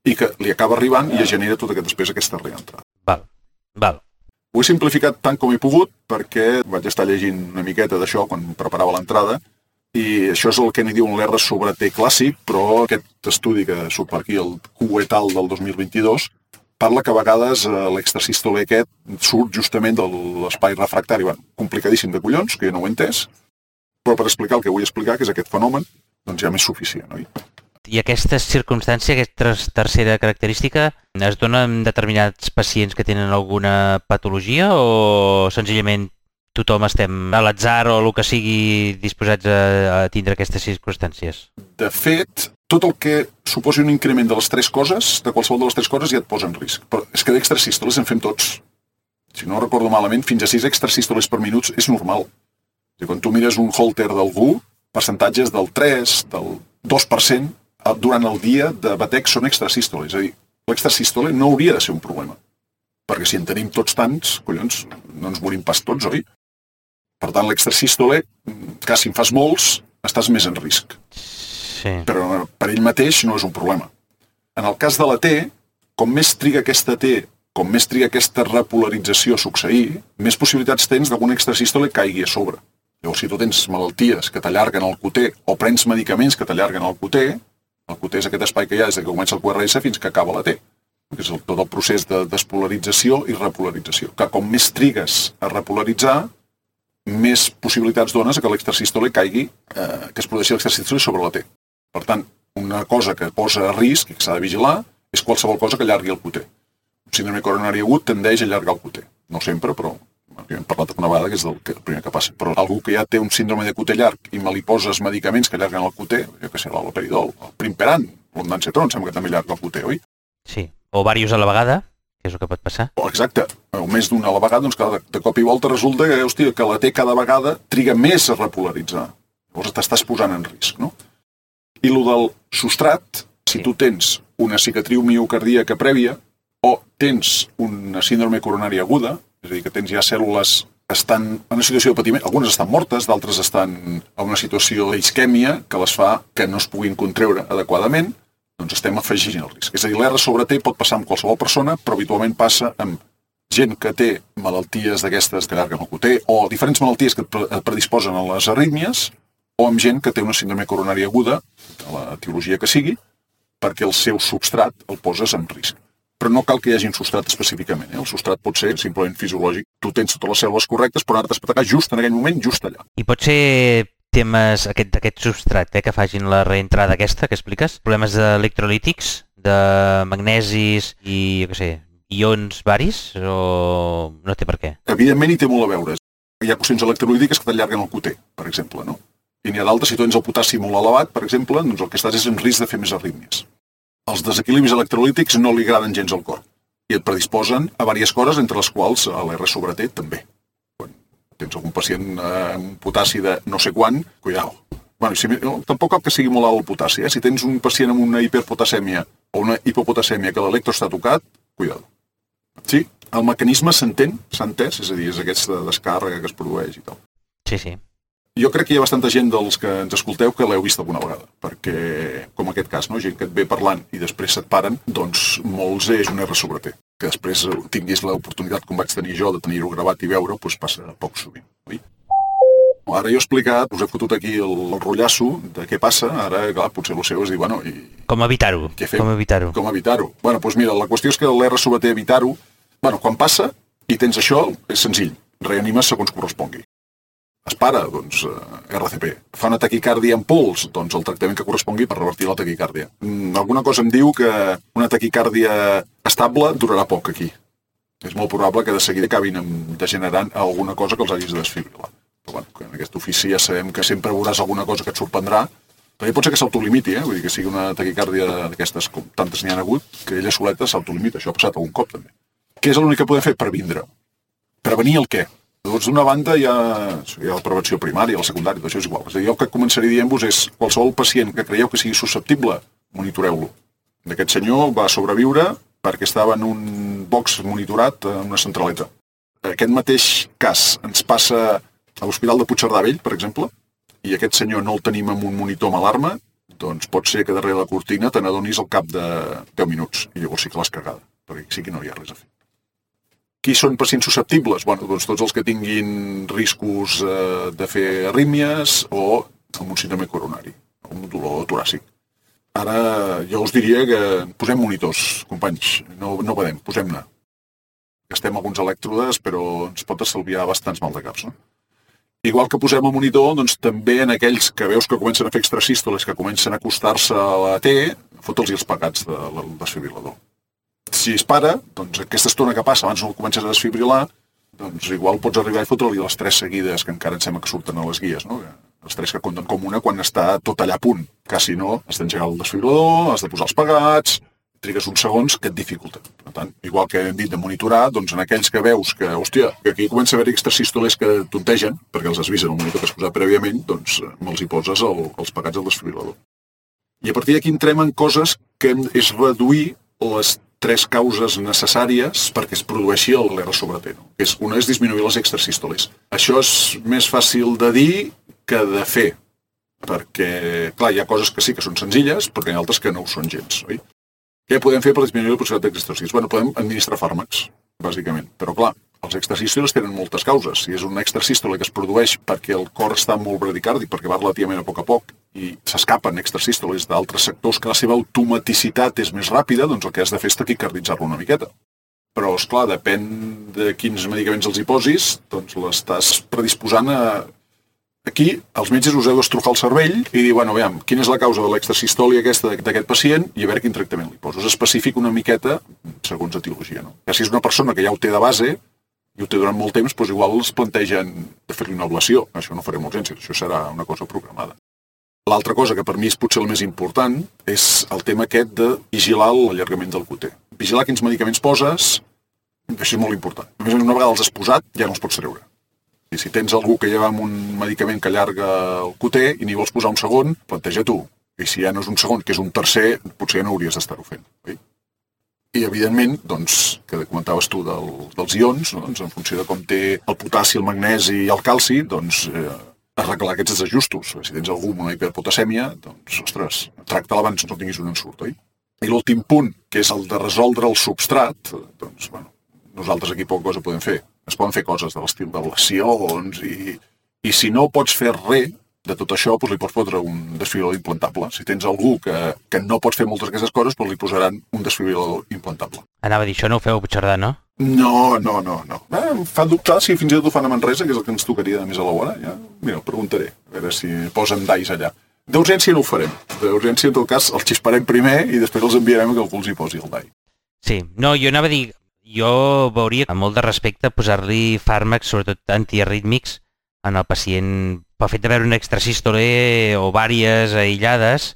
i que li acaba arribant i es genera tota després aquesta reentrada. Val. Ho he simplificat tant com he pogut perquè vaig estar llegint una miqueta d'això quan preparava l'entrada i això és el que n'hi diuen l'R sobre T clàssic, però aquest estudi que surt per aquí, el Q et al del 2022, parla que a vegades l'extrasístole aquest surt justament de l'espai refractari. Complicadíssim de collons, que jo no ho he entès, però per explicar el que vull explicar, que és aquest fenomen, doncs ja m'és suficient, oi? I aquesta circumstància, aquesta tercera característica, es dona en determinats pacients que tenen alguna patologia o senzillament tothom estem a l'atzar o el que sigui disposats a tindre aquestes circumstàncies? De fet, tot el que suposi un increment de les tres coses, de qualsevol de les tres coses, ja et posa en risc. Però és que d'extrasístoles en fem tots. Si no recordo malament, fins a 6 extrasístoles per minut és normal. Quan tu mires un Holter d'algú, percentatges del 3, del 2%, durant el dia de batec són extrasístoles. És a dir, l'extrasístole no hauria de ser un problema. Perquè si en tenim tots tants, collons, no ens morim pas tots, oi? Per tant, l'extrasístole, que si en fas molts, estàs més en risc. Sí. Però per ell mateix no és un problema. En el cas de la T, com més triga aquesta T, com més triga aquesta repolarització a succeir, més possibilitats tens d'algun extrasístole caigui a sobre. Llavors, si tu tens malalties que t'allarguen el QT o prens medicaments que t'allarguen el QT és aquest espai que hi ha des que comença el QRS fins que acaba la T, que és tot el procés de despolarització i repolarització. Que com més trigues a repolaritzar, més possibilitats dones que l'extrasístole caigui, que es produeixi l'extrasístole sobre la T. Per tant, una cosa que posa a risc i que s'ha de vigilar és qualsevol cosa que allargui el QT. Un síndrome coronari agut tendeix a allargar el QT. No sempre, però Hem parlat una vegada que és el primer que passa. Però algú que ja té un síndrome de cuter llarg i me li poses medicaments que allarguen el cuter, jo què sé, l'haloperidol, el primperan, l'ondansetron, sembla que també allarga el cuter, oi? Sí, o diversos a la vegada, que és el que pot passar. Exacte, o més d'una a la vegada, doncs clar, de cop i volta resulta que, hòstia, que la T cada vegada triga més a repolaritzar. Llavors t'estàs posant en risc, no? I el del substrat, si tu tens una cicatriu miocardíaca prèvia o tens una síndrome coronària aguda, és a dir, que tens ja cèl·lules que estan en una situació de patiment, algunes estan mortes, d'altres estan en una situació d'isquèmia que les fa que no es puguin contreure adequadament, doncs estem afegint el risc. És a dir, l'R sobre T pot passar amb qualsevol persona, però habitualment passa amb gent que té malalties d'aquestes que allarguen el cuter o diferents malalties que et predisposen a les arrítmies o amb gent que té una síndrome coronària aguda, de la etiologia que sigui, perquè el seu substrat el poses en risc. Però no cal que hi hagi un substrat específicament. El substrat pot ser simplement fisiològic. Tu tens totes les cèl·lules correctes, però ara t'has atacat just en aquell moment, just allà. I pot ser temes d'aquest substrat, que facin la reentrada aquesta que expliques? Problemes d'electrolítics, de magnesis i, jo què sé, ions varis, o no té per què? Evidentment hi té molt a veure. Hi ha qüestions electrolítiques que t'allarguen el cuter, per exemple, no? I n'hi ha d'altres, si tu tens el potassi molt elevat, per exemple, doncs el que estàs és en risc de fer més arrítmies. Els desequilibris electrolítics no li agraden gens al cor i et predisposen a diverses coses, entre les quals l'R sobre T també. Quan tens algun pacient amb potassi de no sé quant, cuidao. Bueno, tampoc cal que sigui molt alt el potassi. Si tens un pacient amb una hiperpotasèmia o una hipopotasèmia que l'electro està tocat, cuidado. Sí, el mecanisme s'entén, s'ha entès, és a dir, és aquesta descàrrega que es produeix i tal. Sí, sí. Jo crec que hi ha bastanta gent dels que ens escolteu que l'heu vist alguna vegada, perquè, com aquest cas, no? Gent que et ve parlant i després se't paren, doncs molts és un R sobre T. Que després tinguis l'oportunitat, com vaig tenir jo, de tenir-ho gravat i veure, doncs passa poc sovint, oi? Ara jo he explicat, us he fotut aquí el rotllasso de què passa, ara, clar, potser el seu és dir, bueno, i... Com evitar-ho? Què fem? Com evitar-ho? Com evitar-ho? Bueno, doncs mira, la qüestió és que l'R sobre T evitar-ho, bueno, quan passa i tens això, és senzill, reanimes segons correspongui. Es para, doncs, RCP. Fa una taquicàrdia en pols, doncs el tractament que correspongui per revertir la taquicàrdia. Alguna cosa em diu que una taquicàrdia estable durarà poc aquí. És molt probable que de seguida acabin degenerant alguna cosa que els hagis de desfibrilar. Però bueno, que en aquest ofici ja sabem que sempre veuràs alguna cosa que et sorprendrà. També pot ser que s'autolimiti, vull dir que sigui una taquicàrdia d'aquestes, com tantes n'hi ha hagut, que ella soleta s'autolimita. Això ha passat algun cop, també. Què és l'únic que podem fer? Previndre. Prevenir el què? Doncs d'una banda hi ha la prevenció primària, la secundària, això és igual. És a dir, jo el que començaré dient-vos és qualsevol pacient que creieu que sigui susceptible, monitoreu-lo. Aquest senyor va sobreviure perquè estava en un box monitorat en una centraleta. Aquest mateix cas ens passa a l'Hospital de Puigcerdà Vell, per exemple, i aquest senyor no el tenim amb un monitor amb alarma, doncs pot ser que darrere la cortina te n'adonis al cap de 10 minuts, i llavors sí que l'has cagada, perquè sí que no hi ha res a fer. Qui són pacients susceptibles? Bueno, doncs tots els que tinguin riscos de fer arrítmies o amb un síndrome coronari, o un dolor toràcic. Ara jo us diria que posem monitors, companys, no badem, posem-ne. Gastem alguns elèctrodes, però ens pot estalviar bastants maldecaps, no? Igual que posem el monitor, doncs també en aquells que veus que comencen a fer extrasístoles, que comencen a acostar-se a la T, fota'ls els pegats del desfibrilador. Si es para, doncs aquesta estona que passa abans no el comences a desfibrilar, doncs igual pots arribar i fotre-li les 3 seguides que encara em sembla que surten a les guies, no? Les 3 que compten com una quan està tot allà a punt. Que si no, has d'engegar el desfibrilador, has de posar els pegats, trigues uns segons que et dificulten. Per tant, igual que hem dit de monitorar, doncs en aquells que veus que, hòstia, que aquí comença a haver extrasístoles que tontegen, perquè els avisen el monitor que has posat prèviament, doncs me'ls hi poses els pegats al desfibrilador. I a partir d'aquí entrem en coses que és reduir les 3 causes necessàries perquè es produeixi l'R sobre T. No? Una és disminuir les extrasístoles. Això és més fàcil de dir que de fer, perquè, clar, hi ha coses que sí que són senzilles, però hi ha altres que no ho són gens, oi? Què podem fer per disminuir la possibilitat d'extrasístoles? Bueno, podem administrar fàrmacs, bàsicament. Però, clar, els extrasístoles tenen moltes causes. Si és una extrasístole que es produeix perquè el cor està molt bradicàrdic, perquè va relativament a poc, i s'escapen extrasístoles d'altres sectors que la seva automaticitat és més ràpida, doncs el que has de fer és taquicarditzar-lo una miqueta. Però, esclar, depèn de quins medicaments els hi posis, doncs l'estàs predisposant a... Aquí, els metges us heu d'estrujar el cervell i dir, bueno, veiem, quina és la causa de l'extrasistòlia aquesta d'aquest pacient i a veure quin tractament li poso. És específic una miqueta segons etiologia, no? Que si és una persona que ja ho té de base, i ho té durant molt temps, doncs igual es plantegen de fer-li una ablació. Això no farem urgències, això serà una cosa programada. L'altra cosa que per mi és potser el més important és el tema aquest de vigilar l'allargament del QT. Vigilar quins medicaments poses, això és molt important. A més, una vegada els has posat, ja no els pots treure. I si tens algú que lleva amb un medicament que allarga el QT i n'hi vols posar un segon, planteja tu. I si ja no és un segon, que és un tercer, potser ja no hauries d'estar-ho fent. Oi? I, evidentment, doncs, que comentaves tu dels ions, no? Doncs, en funció de com té el potassi, el magnesi i el calci, doncs, arreglar aquests desajustos. Si tens algú amb una hiperpotasèmia, doncs, ostres, tracta-la abans no tinguis un ensurt, oi? I l'últim punt, que és el de resoldre el substrat, doncs, bueno, nosaltres aquí poca cosa podem fer. Es poden fer coses de l'estil d'ablacions i si no pots fer res de tot això, doncs li pots fotre un desfibrilador implantable. Si tens algú que no pots fer moltes d'aquestes coses, doncs li posaran un desfibrilador implantable. Anava a dir, això no ho feu a Puigcerdà, no? No. Em fa dubtar si fins i tot ho fan a Manresa, que és el que ens tocaria de més a l'hora. Ja, mira, ho preguntaré, a veure si posen DAIs allà. D'urgència no ho farem. D'urgència, en tot cas, els xisparem primer i després els enviarem que algú els hi posi el DAI. Sí, no, jo anava a dir, jo veuria amb molt de respecte posar-li fàrmacs, sobretot antiarrítmics, en el pacient, pel fet de veure un extrasístole o vàries aïllades,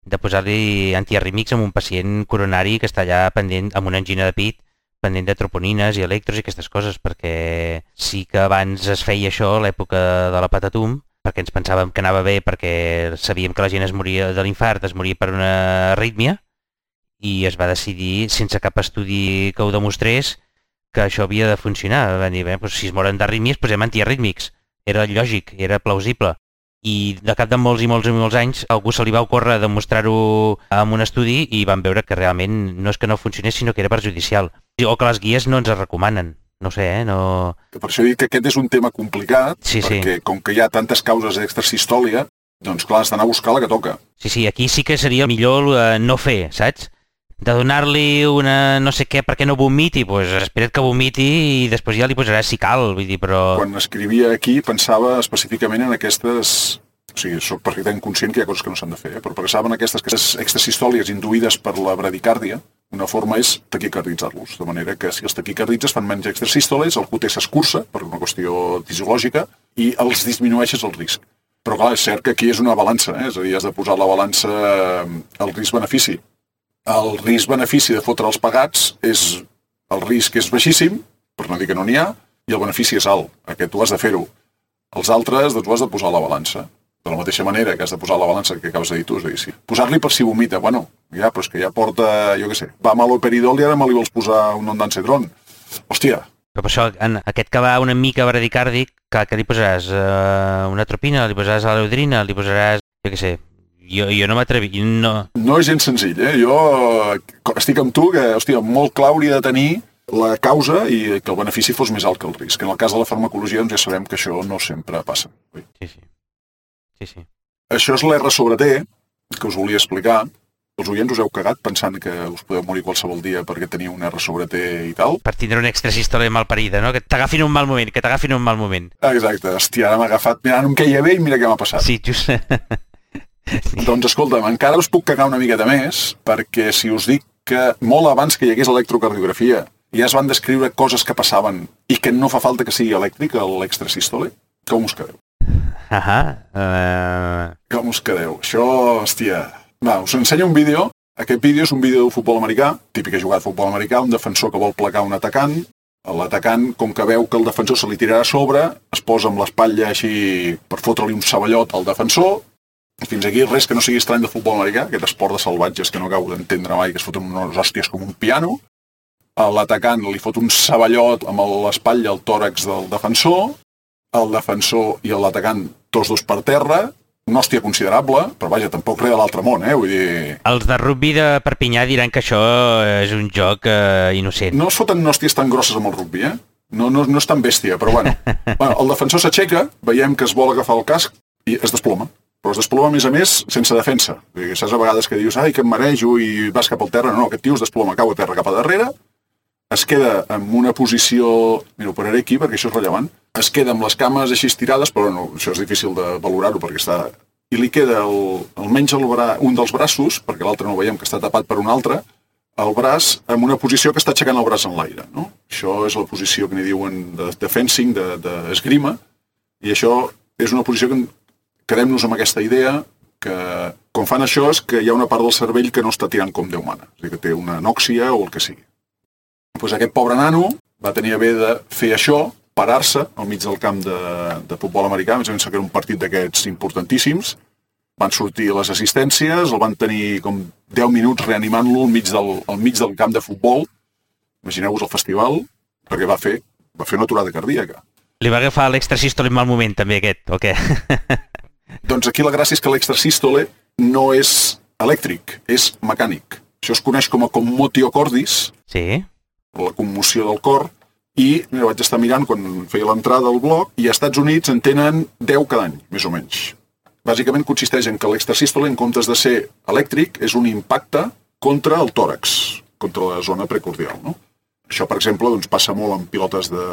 de posar-li antiarrítmics en un pacient coronari que està allà pendent amb una angina de pit, pendent de troponines i electros i aquestes coses, perquè sí que abans es feia això a l'època de la Patatum, perquè ens pensàvem que anava bé, perquè sabíem que la gent es moria de l'infart, es moria per una arrítmia, i es va decidir, sense cap estudi que ho demostrés, que això havia de funcionar. Va dir, bé, doncs, si es moren d'arrítmies, posem antiarrítmics. Era lògic, era plausible. I de cap de molts i molts anys algú se li va ocórrer demostrar-ho amb un estudi i van veure que realment no és que no funcionés, sinó que era perjudicial. O que les guies no ens es recomanen. No sé, no... Per això dic que aquest és un tema complicat, sí, perquè com que hi ha tantes causes d'extrasistòlia, doncs clar, has d'anar a buscar la que toca. Sí, aquí sí que seria millor no fer, saps? De donar-li una no sé què perquè no vomiti, doncs espera't que vomiti i després ja li posaràs si cal, vull dir, però... Quan escrivia aquí pensava específicament en aquestes... O sigui, soc perfectament conscient que hi ha coses que no s'han de fer, però pensava en aquestes extrasistòlies induïdes per la bradicàrdia. Una forma és taquicarditzar-los, de manera que si els taquicarditzes fan menys extrasístoles, el QT s'escurça per una qüestió fisiològica i els disminueixes el risc. Però clar, és cert que aquí és una balança, és a dir, has de posar la balança al risc-benefici. El risc-benefici de fotre els pagats és... El risc és baixíssim, per no dir que no n'hi ha, i el benefici és alt. Aquest tu has de fer-ho. Els altres, doncs, ho has de posar a la balança. De la mateixa manera que has de posar a la balança que acabes de dir tu, és a dir, sí. Posar-li per si vomita, bueno, ja, però és que ja porta, jo què sé, va amb l'operidol i ara me li vols posar un ondansetron. Hòstia. Però per això, en aquest que va una mica bradicàrdic, que li posaràs una atropina, li posaràs l'aleudrina, li posaràs, jo què sé, jo no m'atrevi, no... No és gens senzill, Jo estic amb tu que, hòstia, molt clar hauria de tenir la causa i que el benefici fos més alt que el risc. En el cas de la farmacologia, doncs ja sabem que això no sempre passa. Sí. Això és l'R sobre T, que us volia explicar. Els oients us heu cagat pensant que us podeu morir qualsevol dia perquè teniu un R sobre T i tal. Per tindre una extrasístole malparida, no? Que t'agafin un mal moment, Exacte, hòstia, ara m'ha agafat. Mira, no em queia bé i mira què m'ha passat. Sí, just... Sí. Doncs escolta'm, encara us puc cagar una miqueta més, perquè si us dic que molt abans que hi hagués electrocardiografia ja es van descriure coses que passaven i que no fa falta que sigui elèctric, l'extrasístole, com us quedeu? Com us quedeu? Això, hòstia... Va, us ensenyo un vídeo. Aquest vídeo és un vídeo de futbol americà, típica jugada de futbol americà, un defensor que vol placar un atacant. L'atacant, com que veu que el defensor se li tirarà a sobre, es posa amb l'espatlla així per fotre-li un ceballot al defensor. Fins aquí res que no sigui estrany de futbol americà, aquest esport de salvatges que no acabo d'entendre mai, que es foten unes hòsties com un piano. L'atacant li fot un ceballot amb l'espatlla al tòrax del defensor. El defensor i l'atacant, tots dos per terra, una hòstia considerable, però vaja, tampoc res de l'altre món, Vull dir... Els de rugby de Perpinyà diran que això és un joc innocent. No es foten hòsties tan grosses amb el rugby, No és tan bèstia, però bueno. El defensor s'aixeca, veiem que es vol agafar el casc i es desploma. Però es desploma, a més, sense defensa. Saps a vegades que dius, ai, que em marejo i vas cap al terra. No, aquest tio es desploma, cau a terra cap a darrere, es queda en una posició... Mira, ho pararé aquí perquè això és rellevant. Es queda amb les cames així estirades, però no, això és difícil de valorar-ho perquè està... I li queda almenys un dels braços, perquè l'altre no ho veiem que està tapat per un altre, el braç en una posició que està aixecant el braç en l'aire, no? Això és la posició que n'hi diuen de fencing, d'esgrima, i això és una posició que quedem-nos amb aquesta idea que quan fan això és que hi ha una part del cervell que no està tirant com Déu mana, és a dir, que té una anòxia o el que sigui. Doncs aquest pobre nano va tenir a bé de fer això, parar-se al mig del camp de futbol americà, més o menys que era un partit d'aquests importantíssims. Van sortir les assistències, el van tenir com 10 minuts reanimant-lo al mig del camp de futbol. Imagineu-vos el festival, perquè va fer una aturada cardíaca. Li va agafar l'extrasístole en mal moment, també, aquest, o què? Doncs aquí la gràcia és que l'extrasístole no és elèctric, és mecànic. Això es coneix com a commotio cordis, Sí. la commoció del cor, i vaig estar mirant quan feia l'entrada al blog, i als Estats Units en tenen 10 cada any, més o menys. Bàsicament consisteix en que l'extrasístole, en comptes de ser elèctric, és un impacte contra el tòrax, contra la zona precordial, no? Això, per exemple, doncs, passa molt en pilotes de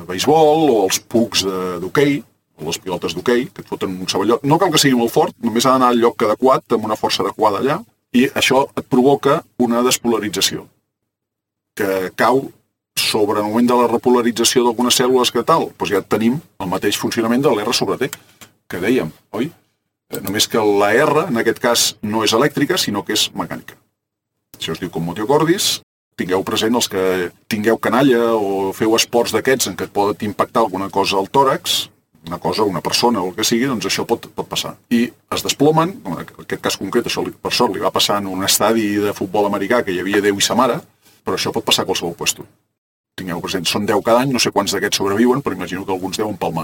beisbol o els pugs d'hoquei, o les pilotes d'hoquei, que et foten un ceballot. No cal que sigui molt fort, només ha d'anar al lloc adequat, amb una força adequada allà, i això et provoca una despolarització, que cau sobre el moment de la repolarització d'algunes cèl·lules que tal, doncs ja tenim el mateix funcionament de l'R sobre T, que dèiem, oi? Només que la R, en aquest cas, no és elèctrica, sinó que és mecànica. Això es diu commotio cordis. Tingueu present els que tingueu canalla o feu esports d'aquests en què et poden impactar alguna cosa al tòrax, una cosa, una persona o el que sigui, doncs això pot passar. I es desplomen, en aquest cas concret, això per sort li va passar en un estadi de futbol americà que hi havia Déu i sa mare, però això pot passar a qualsevol puesto. Tingueu present, són 10 cada any, no sé quants d'aquests sobreviuen, però imagino que alguns deuen palmar.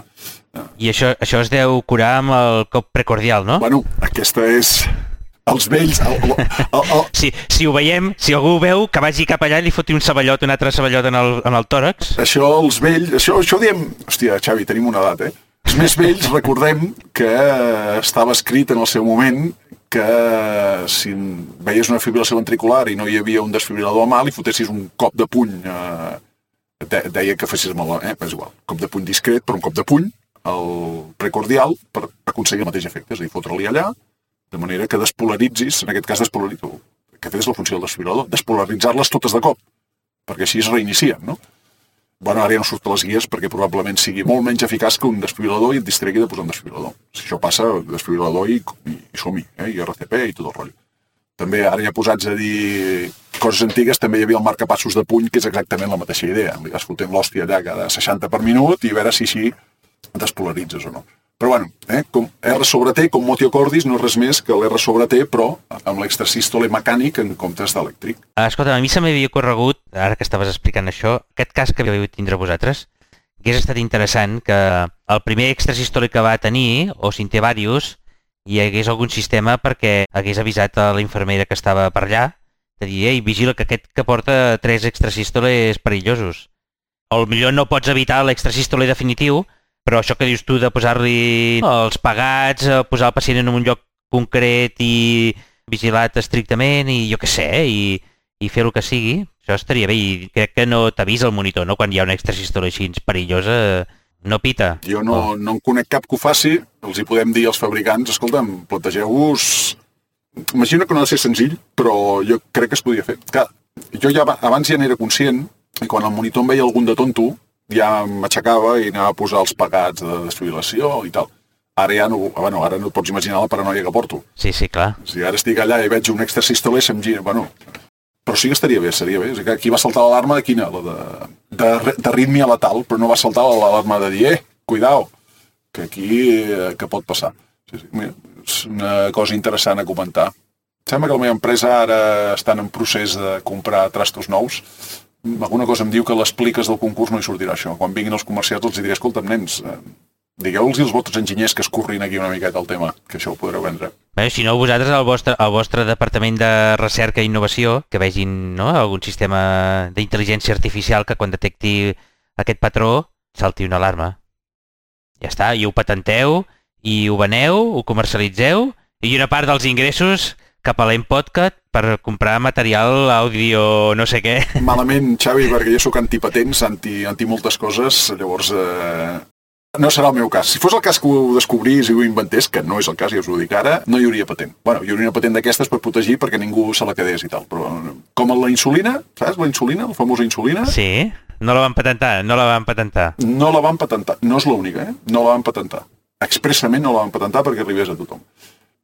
I això es deu curar amb el cop precordial, no? Bueno, aquesta és... Els vells... Si ho veiem, si algú ho veu, que vagi cap allà i li foti un ceballot, un altre ceballot en el tòrax. Això, els vells... Això diem... Hòstia, Xavi, tenim una edat, Els més vells recordem que estava escrit en el seu moment que si veies una fibrilació ventricular i no hi havia un desfibrilador a mà, li fotessis un cop de puny... Deia que fessis malalt, però és igual. Cop de puny discret, però un cop de puny, el precordial, per aconseguir el mateix efecte. És a dir, fotre-li allà, de manera que despolaritzis, en aquest cas que és la funció del desfibrilador, despolaritzar-les totes de cop, perquè així es reinicien, no? Bueno, ara ja no surt a les guies perquè probablement sigui molt menys eficaç que un desfibrilador i et distregui de posar un desfibrilador. Si això passa, desfibrilador i som-hi, i RCP i tot el rotllo. També, ara ja posats a dir coses antigues, també hi havia el marcapassos de puny, que és exactament la mateixa idea. Li vas fotent l'hòstia allà cada 60 per minut i a veure si així despolaritzes o no. Però bueno, com R sobre T, com commotio cordis, no és res més que l'R sobre T, però amb l'extrasístole mecànic en comptes d'elèctric. Escolta, a mi se m'havia corregut, ara que estaves explicant això, aquest cas que havíeu tindre vosaltres, hagués estat interessant que el primer extrasístole que va tenir, o si en té diversos, hi hagués algun sistema perquè hagués avisat a la infermera que estava per allà de dir, ei, vigila que aquest que porta 3 extrasístoles perillosos. O potser no pots evitar l'extrasístole definitiu, però això que dius tu de posar-li els pegats, posar el pacient en un lloc concret i vigilat estrictament i jo què sé, i fer el que sigui, això estaria bé. I crec que no t'avisa el monitor, no? Quan hi ha una extrasístole així perillosa, no pita. Jo no en conec cap que ho faci, els hi podem dir als fabricants, escolta'm, plantegeu-vos... Imagino que no ha de ser senzill, però jo crec que es podia fer. Clar, jo ja abans ja n'era conscient, i quan el monitor em veia algun de tonto, ja m'aixecava i anava a posar els pegats de desfibrilació i tal. Ara ja no... Bueno, ara no et pots imaginar la paranoia que porto. Sí, clar. Si ara estic allà i veig un extrasístole, se'm gira... Bueno, però sí que estaria bé, seria bé. O sigui, aquí va saltar l'alarma, quina? La d'arrítmia letal, però no va saltar l'alarma de dir, cuidao, que aquí que pot passar. Sí, mira, és una cosa interessant a comentar. Sembla que la meva empresa ara estan en procés de comprar trastos nous. Alguna cosa em diu que les pliques del concurs no hi sortirà això. Quan vinguin els comercials els diré, escolta'm, nens, digueu-los als vostres enginyers que es corrin aquí una miqueta el tema, que això ho podreu vendre. Bé, si no, vosaltres, el vostre departament de recerca i innovació, que vegin algun sistema d'intel·ligència artificial que quan detecti aquest patró salti una alarma. Ja està, i ho patenteu, i ho veneu, ho comercialitzeu, i una part dels ingressos cap a l'Empodcast per comprar material àudio no sé què. Malament, Xavi, perquè jo sóc antipatents, anti moltes coses, llavors No serà el meu cas. Si fos el cas que ho descobrís i ho inventés, que no és el cas, ja us ho dic ara, no hi hauria patent. Bueno, hi hauria una patent d'aquestes per protegir perquè ningú se la quedés i tal. Però com la insulina, saps? La insulina, la famosa insulina. Sí, no la van patentar. No la van patentar. No és l'única, No la van patentar. Expressament no la van patentar perquè arribés a tothom.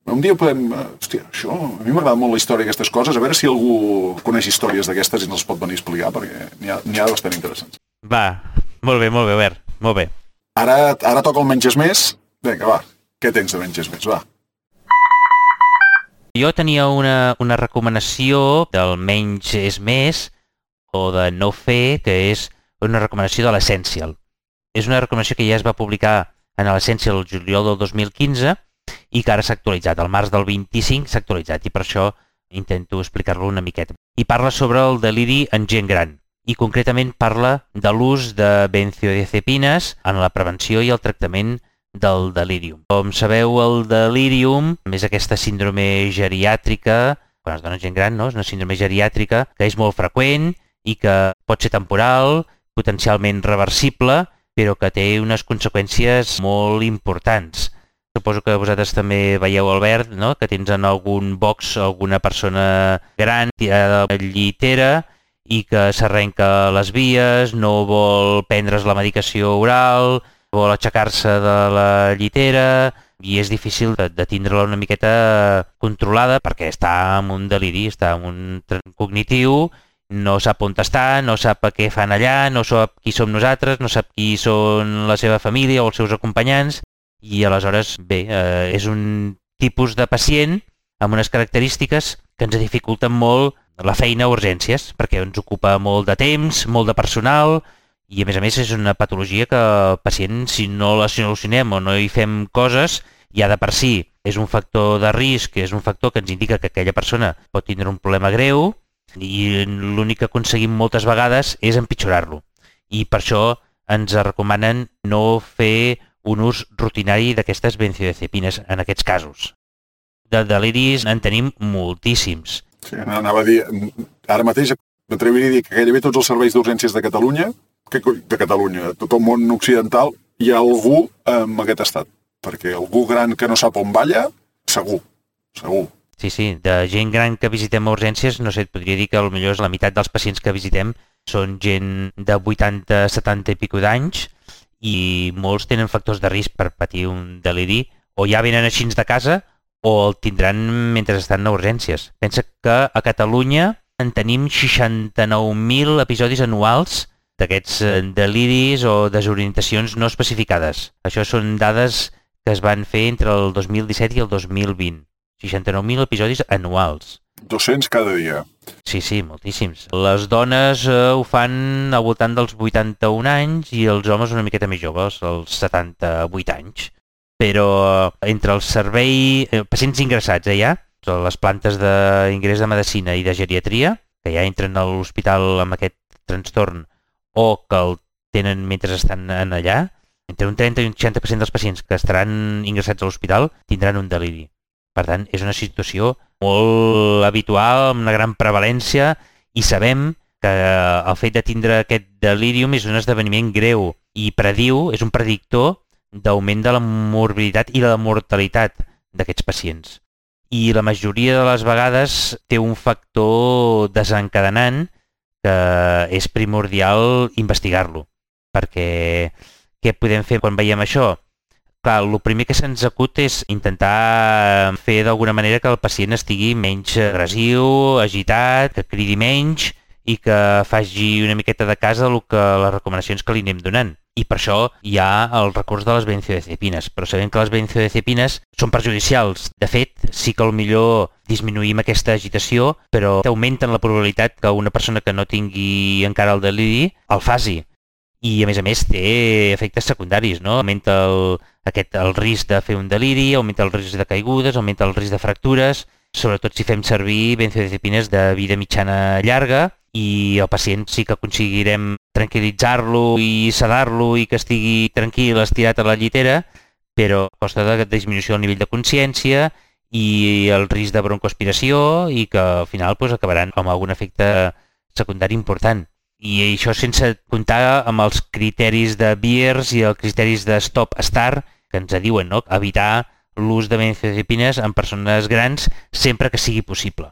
Un dia podem... Hòstia, això... A mi m'agrada molt la història d'aquestes coses. A veure si algú coneix històries d'aquestes i ens les pot venir a explicar, perquè n'hi ha bastant interessants. Va, molt bé, Albert. Molt bé. Ara toca el menges més. Vinga, va. Què tens de menges més? Va. Jo tenia una recomanació del menys és més o de no fer, que és una recomanació de l'Essential. És una recomanació que ja es va publicar en l'Essential el juliol del 2015 i que ara s'ha actualitzat. Al març del 25 s'ha actualitzat i per això intento explicar-lo una miqueta. I parla sobre el deliri en gent gran. I concretament parla de l'ús de benzodiazepines en la prevenció i el tractament del delirium. Com sabeu, el delirium és aquesta síndrome geriàtrica, quan es dona gent gran, no? És una síndrome geriàtrica que és molt freqüent i que pot ser temporal, potencialment reversible, però que té unes conseqüències molt importants. Suposo que vosaltres també veieu, Albert, no? Que tens en algun box alguna persona gran tirada a la llitera i que s'arrenca les vies, no vol prendre's la medicació oral, vol aixecar-se de la llitera i és difícil de tindre-la una miqueta controlada perquè està en un deliri, està en un trastorn cognitiu, no sap on està, no sap què fan allà, no sap qui som nosaltres, no sap qui són la seva família o els seus acompanyants i aleshores, bé, és un tipus de pacient amb unes característiques que ens dificulten molt la feina a urgències, perquè ens ocupa molt de temps, molt de personal, i a més és una patologia que el pacient, si no la solucionem o no hi fem coses, ja de per si és un factor de risc, és un factor que ens indica que aquella persona pot tindre un problema greu, i l'únic que aconseguim moltes vegades és empitjorar-lo. I per això ens recomanen no fer un ús rutinari d'aquestes benzodiazepines en aquests casos. De deliris en tenim moltíssims. Sí, anava a dir, ara mateix m'atreviria a dir que gairebé tots els serveis d'urgències de Catalunya, de tot el món occidental, hi ha algú en aquest estat. Perquè algú gran que no sap on balla, segur. Sí, de gent gran que visitem a urgències, no sé, et podria dir que potser la meitat dels pacients que visitem són gent de 80, 70 i pico d'anys i molts tenen factors de risc per patir un deliri, o ja venen així de casa o el tindran mentre estan a urgències. Pensa que a Catalunya en tenim 69.000 episodis anuals d'aquests deliris o desorientacions no especificades. Això són dades que es van fer entre el 2017 i el 2020. 69.000 episodis anuals. 200 cada dia. Sí, moltíssims. Les dones ho fan al voltant dels 81 anys i els homes una miqueta més joves, als 78 anys. Però entre el servei, pacients ingressats ja, les plantes d'ingrés de medicina i de geriatria, que ja entren a l'hospital amb aquest trastorn o que el tenen mentre estan allà, entre un 30 i un 60% dels pacients que estaran ingressats a l'hospital tindran un deliri. Per tant, és una situació molt habitual, amb una gran prevalència, i sabem que el fet de tindre aquest delirium és un esdeveniment greu i és un predictor d'augment de la morbiditat i la mortalitat d'aquests pacients. I la majoria de les vegades té un factor desencadenant que és primordial investigar-lo. Perquè què podem fer quan veiem això? Clar, el primer que se'ns acut és intentar fer d'alguna manera que el pacient estigui menys agressiu, agitat, que cridi menys i que faci una miqueta de cas del que les recomanacions que li anem donant. I per això hi ha el recurs de les benzodiazepines. Però sabem que les benzodiazepines són perjudicials. De fet, sí que millor disminuïm aquesta agitació, però augmenten la probabilitat que una persona que no tingui encara el deliri el faci. I a més té efectes secundaris, no? Augmenta el risc de fer un deliri, augmenta el risc de caigudes, augmenta el risc de fractures, sobretot si fem servir benzodiazepines de vida mitjana llarga, i el pacient sí que aconseguirem tranquil·litzar-lo i sedar-lo i que estigui tranquil, estirat a la llitera, però a costa de disminució del nivell de consciència i el risc de broncoaspiració i que al final acabaran amb algun efecte secundari important. I això sense comptar amb els criteris de Beers i els criteris de Stop-Start que ens diuen, no? Evitar l'ús de benzodiazepines en persones grans sempre que sigui possible.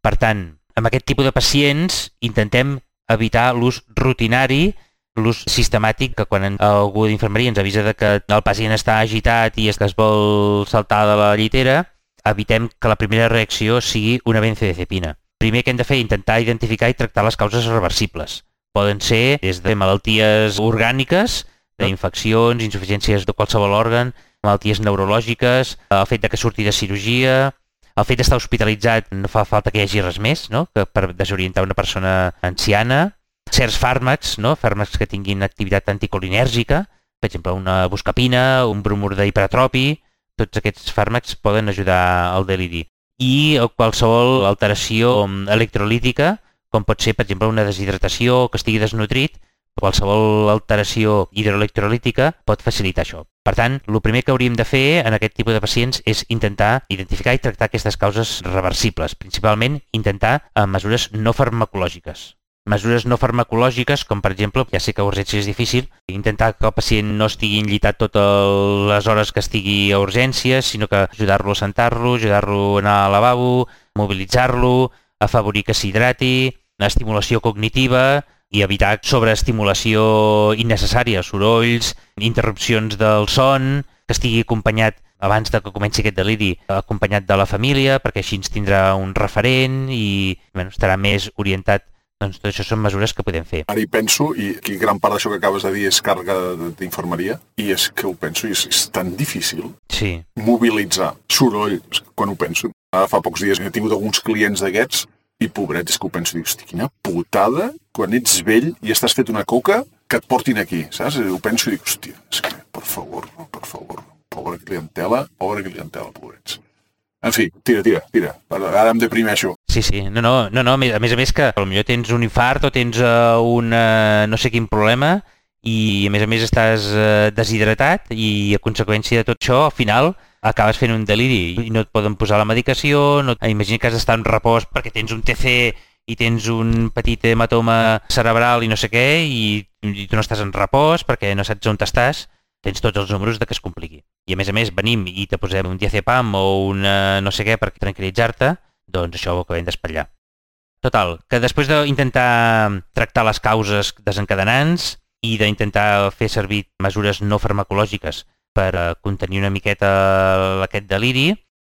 Per tant, amb aquest tipus de pacients intentem evitar l'ús rutinari, l'ús sistemàtic, que quan algú d'infermeria ens avisa de que el pacient està agitat i es vol saltar de la llitera, evitem que la primera reacció sigui una benzodiazepina. Primer que hem de fer és intentar identificar i tractar les causes reversibles. Poden ser des de malalties orgàniques, d'infeccions, insuficiències de qualsevol òrgan, malalties neurològiques, el fet que surti de cirurgia, el fet d'estar hospitalitzat no fa falta que hi hagi res més, no? Que per desorientar una persona anciana, certs fàrmacs, no? Fàrmacs que tinguin activitat anticolinèrgica, per exemple una buscapina, un bromur d'hipertropi, tots aquests fàrmacs poden ajudar al deliri. I qualsevol alteració electrolítica, com pot ser, per exemple, una deshidratació, que estigui desnutrit, qualsevol alteració hidroelectrolítica pot facilitar això. Per tant, el primer que hauríem de fer en aquest tipus de pacients és intentar identificar i tractar aquestes causes reversibles, principalment intentar amb mesures no farmacològiques. Mesures no farmacològiques, com per exemple, ja sé que a urgència és difícil, intentar que el pacient no estigui enllitat totes les hores que estigui a urgències, sinó que ajudar-lo a sentar-lo, ajudar-lo a anar al lavabo, mobilitzar-lo, afavorir que s'hidrati, estimulació cognitiva i evitar sobreestimulació innecessària, sorolls, interrupcions del son, que estigui acompanyat, abans de que comenci aquest deliri, acompanyat de la família, perquè així ens tindrà un referent i estarà més orientat. Doncs tot això són mesures que podem fer. Ara hi penso, i aquí gran part d'això que acabes de dir és càrrega d'infermeria, i és que ho penso, i és tan difícil mobilitzar soroll, quan ho penso. Ara fa pocs dies he tingut alguns clients d'aquests, i pobrets, és que ho penso, dic, hosti, quina putada, quan ets vell i estàs fet una coca, que et portin aquí, saps? Ho penso i dic, hòstia, és que, per favor, pobra clientela, pobrets. En fi, tira. Ara em deprimeixo. Sí. No. A més que potser tens un infart o tens un no sé quin problema i a més estàs deshidratat i a conseqüència de tot això, al final acabes fent un deliri i no et poden posar la medicació, imagina que has d'estar en repòs perquè tens un TC i tens un petit hematoma cerebral i no sé què i tu no estàs en repòs perquè no saps on estàs. Tens tots els números de que es compliqui. I a més venim i te posem un diazepam o un no sé què per tranquil·litzar-te, doncs això ho acabem d'espatllar. Total, que després d'intentar tractar les causes desencadenants i d'intentar fer servir mesures no farmacològiques per contenir una miqueta aquest deliri,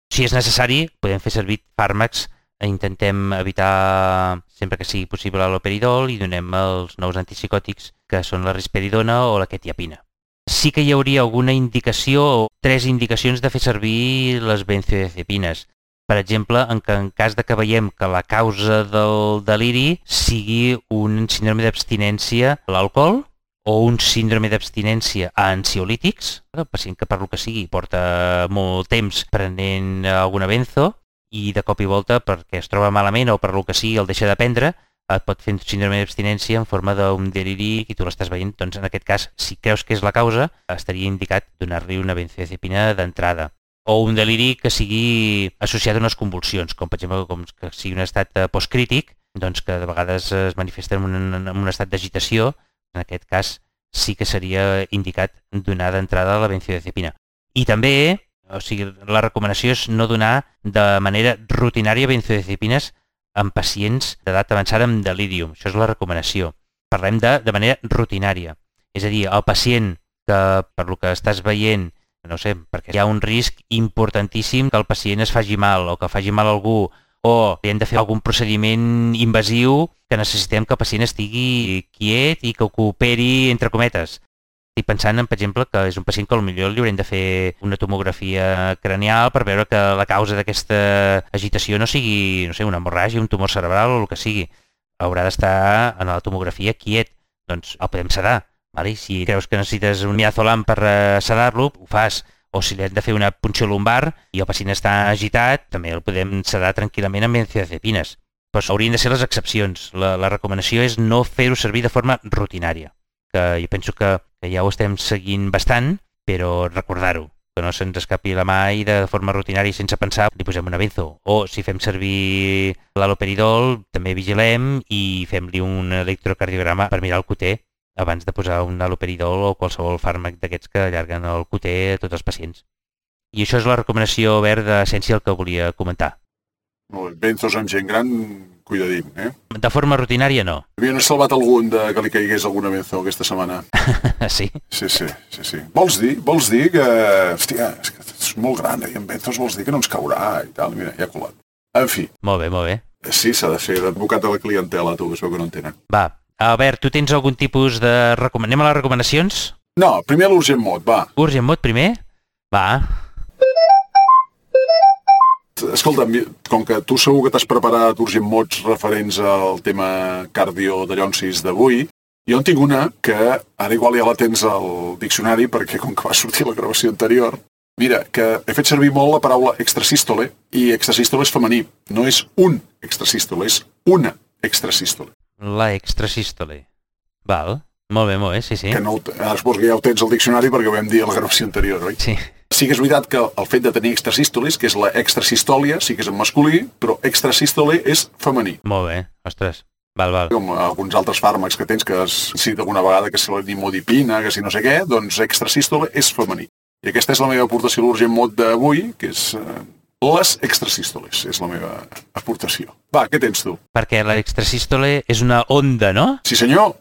si és necessari podem fer servir fàrmacs, intentem evitar sempre que sigui possible l'haloperidol i donem els nous antipsicòtics que són la risperidona o la quetiapina. Sí que hi hauria alguna indicació o 3 indicacions de fer servir les benzodiazepines. Per exemple, en cas de que veiem que la causa del deliri sigui un síndrome d'abstinència a l'alcohol o un síndrome d'abstinència a ansiolítics, el pacient que per lo que sigui porta molt temps prenent alguna benzo i de cop i volta perquè es troba malament o per lo que sigui el deixa de prendre, et pot fer un síndrome d'abstinència en forma d'un deliri i tu l'estàs veient, doncs en aquest cas, si creus que és la causa, estaria indicat donar-li una benzodiazepina d'entrada. O un deliri que sigui associat a unes convulsions, com per exemple que sigui un estat postcrític, doncs que de vegades es manifesta en un estat d'agitació, en aquest cas sí que seria indicat donar d'entrada la benzodiazepina. I també, la recomanació és no donar de manera rutinària benzodiazepines en pacients d'edat avançada amb delirium. Això és la recomanació. Parlem de manera rutinària. És a dir, el pacient que, per lo que estàs veient, no sé, perquè hi ha un risc importantíssim que el pacient es faci mal o que faci mal a algú o hem de fer algun procediment invasiu que necessitem que el pacient estigui quiet i que ho cooperi entre cometes. Estic pensant, per exemple, que és un pacient que potser li haurem de fer una tomografia cranial per veure que la causa d'aquesta agitació no sigui, no sé, una hemorràgia, un tumor cerebral o el que sigui. Haurà d'estar en la tomografia quiet. Doncs el podem sedar. Vale? Si creus que necessites un midazolam per sedar-lo, ho fas. O si li hem de fer una punció lumbar i el pacient està agitat, també el podem sedar tranquil·lament amb benzodiazepines. Però haurien de ser les excepcions. La recomanació és no fer-ho servir de forma rutinària. Que jo penso que ja ho estem seguint bastant, però recordar-ho, que no se'ns escapi la mà i de forma rutinària sense pensar li posem una benzo. O si fem servir l'haloperidol, també vigilem i fem-li un electrocardiograma per mirar el QT abans de posar un haloperidol o qualsevol fàrmac d'aquests que allarguen el QT a tots els pacients. I això és la recomanació verda Essential que volia comentar. Molt bé. Benzos amb gent gran, cuidadín, eh? De forma rutinària, no. Havien salvat algun de que li caigués alguna benzo aquesta setmana. Sí? Sí. Vols dir que... Hòstia, és molt gran, i amb benzos vols dir que no ens caurà i tal. Mira, ja ha colat. En fi. Molt bé. Sí, s'ha de fer d'advocat de la clientela, tu, que es veu que no en tenen. Va. Albert, tu tens algun tipus de... Anem a les recomanacions? No, primer l'Urgent Mod, va. Urgent Mod primer? Va. Escolta'm, com que tu segur que t'has preparat Urgent Mods referents al tema cardio de llonsis d'avui, jo en tinc una que ara igual ja la tens al diccionari perquè com que va sortir la gravació anterior, mira, que he fet servir molt la paraula extrasístole i extrasístole és femení. No és un extrasístole, és una extrasístole. La extrasístole. Val. Molt bé, sí. Que no, ara suposo que ja ho tens al diccionari perquè ho vam dir a la gravació anterior, oi? Sí. Sí que és veritat que el fet de tenir extrasístolis, que és la extrasistòlia, sí que és en masculí, però extrasístole és femení. Molt bé, ostres. Val. Com alguns altres fàrmacs que tens, que has citat alguna vegada, que si la nimodipina, que si no sé què, doncs extrasístole és femení. I aquesta és la meva aportació a l'Urgent Mod d'avui, que és les extrasístoles, és la meva aportació. Va, què tens tu? Perquè la extrasístole és una onda, no? Sí, senyor.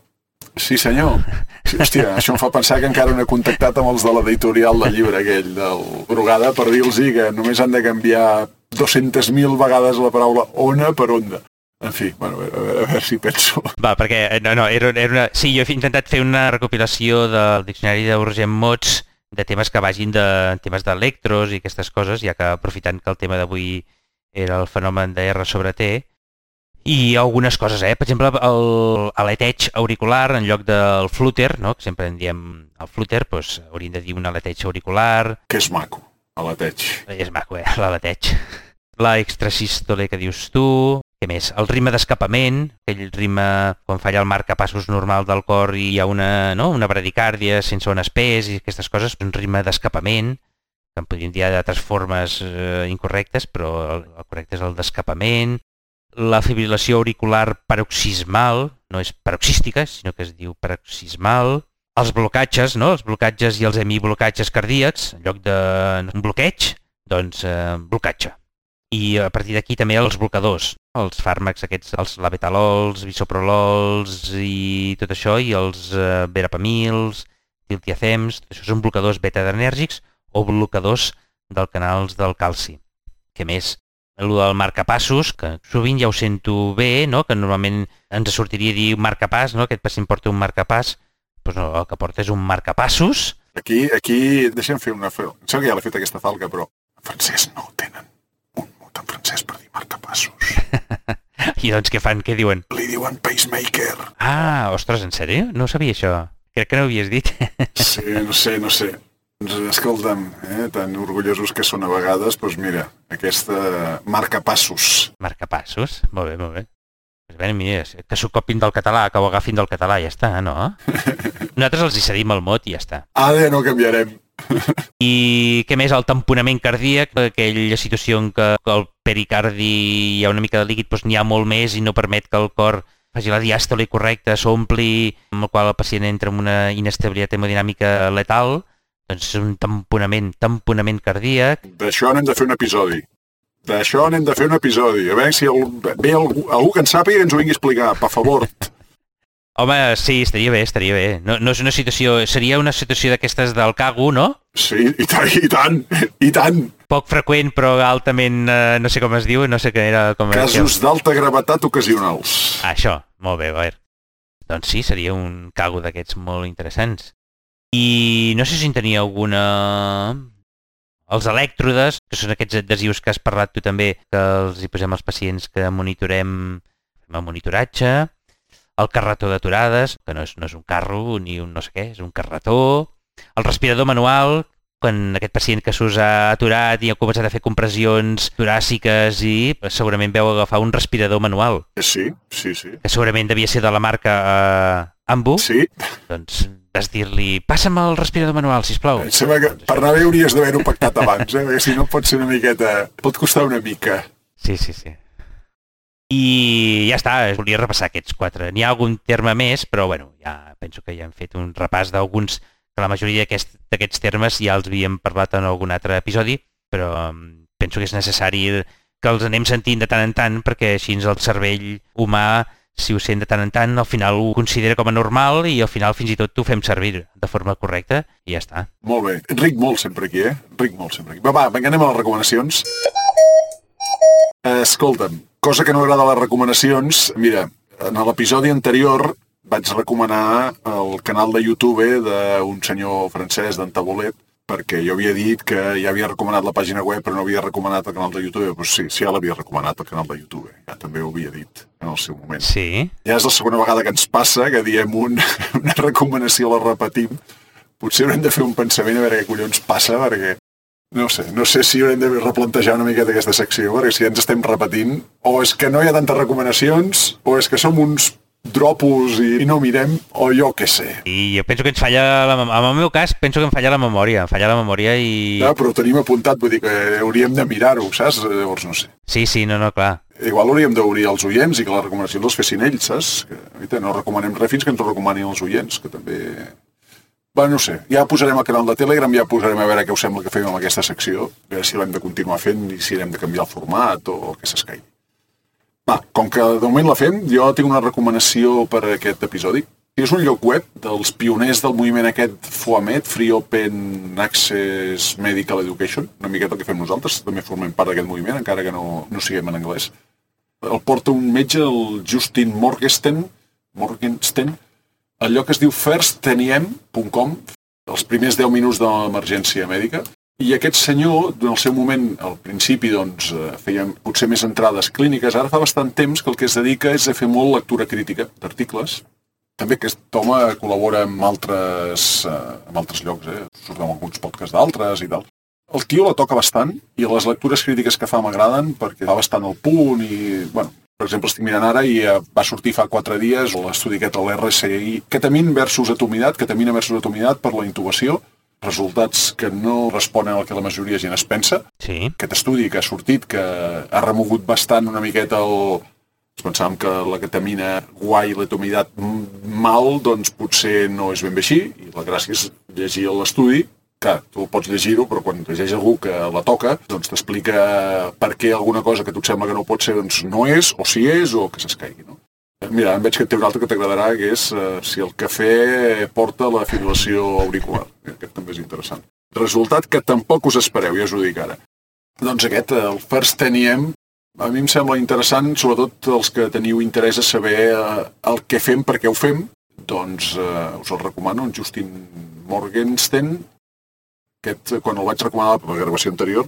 Sí, hòstia, això em fa pensar que encara no he contactat amb els de l'editorial del llibre aquell del Brugada per dir-los que només han de canviar 200.000 vegades la paraula ona per onda. En fi, bueno, a veure si penso. Va, perquè, era una... Sí, jo he intentat fer una recopilació del diccionari d'Urgent Mods de temes que vagin de temes d'electros i aquestes coses, ja que aprofitant que el tema d'avui era el fenomen de R sobre T, i algunes coses, per exemple, l'aleteig auricular en lloc del flúter, no? Que sempre en diem el flúter, doncs hauríem de dir un aleteig auricular. Que és maco, aleteig. És maco, l'aleteig. La extrasístole que dius tu. Què més? El ritme d'escapament, aquell ritme quan falla el marcapassos normal del cor i hi ha una bradicàrdia sense ones pes i aquestes coses, un ritme d'escapament, que en podríem dir d'altres formes incorrectes, però el correcte és el d'escapament. La fibrilació auricular paroxismal, no és paroxística, sinó que es diu paroxismal. Els blocatges, no? Els blocatges i els hemiblocatges cardíacs, en lloc d'un bloqueig, doncs blocatge. I a partir d'aquí també els blocadors, els fàrmacs aquests, els labetalol, bisoprolols i tot això, i els verapamils, diltiazems, tot això són blocadors beta-adrenèrgics o blocadors dels canals del calci. Què més? El del marcapassos, que sovint ja ho sento bé, no? Que normalment ens sortiria dir marcapàs, no? Aquest pacient porta un marcapàs, doncs no, el que porta és un marcapassos. Aquí deixem fer una... Em sembla que ja l'he fet aquesta falca, però en francès no tenen un mot en francès per dir marcapassos. I doncs què fan? Què diuen? Li diuen pacemaker. Ah, ostres, en sèrio? No sabia això. Crec que no ho havies dit. Sí, no sé. Escolta'm, tan orgullosos que són a vegades, doncs mira, aquesta marcapassos. Marcapassos? Molt bé. Pues bé, mira, que s'ho copin del català, que ho agafin del català, ja està, no? Nosaltres els hi cedim el mot i ja està. Ara no canviarem. I què més? El tamponament cardíac, aquella situació en què el pericardi hi ha una mica de líquid, doncs n'hi ha molt més i no permet que el cor faci la diàstole correcta, s'ompli, amb el qual el pacient entra en una inestabilitat hemodinàmica letal. Doncs és un tamponament cardíac. D'això n'hem de fer un episodi. A veure si ve algú que en sàpiga i ens ho vingui a explicar, per favor. Home, sí, estaria bé. No és una situació... Seria una situació d'aquestes del cago, no? Sí, i tant. Poc freqüent, però altament... no sé com es diu, no sé què era... Casos d'alta gravetat ocasionals. Això, molt bé, a veure. Doncs sí, seria un cago d'aquests molt interessants. I no sé si en tenia alguna... Els elèctrodes, que són aquests adhesius que has parlat tu també, que els hi posem als pacients que monitorem, fem el monitoratge. El carretó d'aturades, que no és un carro ni un no sé què, és un carretó. El respirador manual, quan aquest pacient que s'us ha aturat i ha començat a fer compressions toràciques i segurament veu agafar un respirador manual. Sí. Que segurament devia ser de la marca Ambu. Sí. Doncs necessites dir-li passa'm el respirador manual, sisplau. Em sembla que per anar bé hauries d'haver-ho pactat abans, perquè si no pot ser una miqueta... Pot costar una mica. Sí. I ja està, volia repassar aquests 4. N'hi ha algun terme més, però bueno, ja penso que ja hem fet un repàs d'alguns, que la majoria d'aquests termes ja els havíem parlat en algun altre episodi, però penso que és necessari que els anem sentint de tant en tant, perquè així el cervell humà, si ho sent de tant en tant, al final ho considera com a normal i al final fins i tot ho fem servir de forma correcta i ja està. Molt bé. Ric molt sempre aquí, Ric molt sempre aquí. Va, vinga, anem a les recomanacions. Escolta'm, cosa que no agrada a les recomanacions, mira, en l'episodi anterior vaig recomanar el canal de YouTube d'un senyor francès, d'en Tabolet, perquè jo havia dit que ja havia recomanat la pàgina web però no havia recomanat el canal de YouTube. Doncs sí, ja l'havia recomanat el canal de YouTube, ja també ho havia dit en el seu moment. Sí. Ja és la segona vegada que ens passa que diem una recomanació, la repetim. Potser haurem de fer un pensament a veure què collons passa, perquè no sé si haurem de replantejar una miqueta aquesta secció, perquè si ja ens estem repetint, o és que no hi ha tantes recomanacions, o és que som uns dropos i no mirem, o jo què sé. I jo penso que ens falla, en el meu cas, penso que em falla la memòria i... Ja, però ho tenim apuntat, vull dir que hauríem de mirar-ho, saps? Llavors no sé. Sí, no, clar. Igual hauríem d'obrir els oients i que les recomanacions les fessin ells, saps? Que no recomanem res fins que ens ho recomanin els oients, que també... Bueno, no sé, ja posarem al canal de Telegram, ja posarem a veure què us sembla que fem amb aquesta secció, a veure si l'hem de continuar fent i si hem de canviar el format o el que s'escaigui. Va, com que de moment la fem, jo tinc una recomanació per a aquest episodi. És un lloc web dels pioners del moviment aquest FOAMED, Free Open Access Medical Education, una miqueta el que fem nosaltres, també formem part d'aquest moviment, encara que no siguem en anglès. El porta un metge, el Justin Morgenstern. El lloc es diu firstteniem.com, els primers 10 minuts de l'emergència mèdica, i aquest senyor, en el seu moment, al principi, doncs, feia potser més entrades clíniques, ara fa bastant temps que el que es dedica és a fer molt lectura crítica d'articles. També aquest home col·labora amb altres llocs, surt en alguns podcasts d'altres i tal. El tio la toca bastant i les lectures crítiques que fa m'agraden perquè fa bastant el punt i, bueno, per exemple, estic mirant ara i va sortir fa 4 dies l'estudi aquest, l'RSI, ketamina versus atomidat per la intubació, resultats que no responen al que la majoria de gent es pensa. Sí. Aquest estudi que ha sortit, que ha remogut bastant una miqueta pensàvem que la ketamina guai i l'atomidat mal, doncs potser no és ben bé així, i la gràcia és llegir l'estudi. Clar, tu pots llegir-ho, però quan llegeix algú que la toca, doncs t'explica per què alguna cosa que a tu et sembla que no pot ser, doncs no és, o si és, o que s'escaigui, no? Mira, em veig que té un altre que t'agradarà, que és si el cafè porta la fibrilació auricular. Aquest també és interessant. Resultat que tampoc us espereu, ja us ho dic ara. Doncs aquest, el First 10 a mi em sembla interessant, sobretot els que teniu interès a saber el que fem, per què ho fem, doncs us el recomano, en Justin Morgenstern. Aquest, quan el vaig recomanar per la gravació anterior,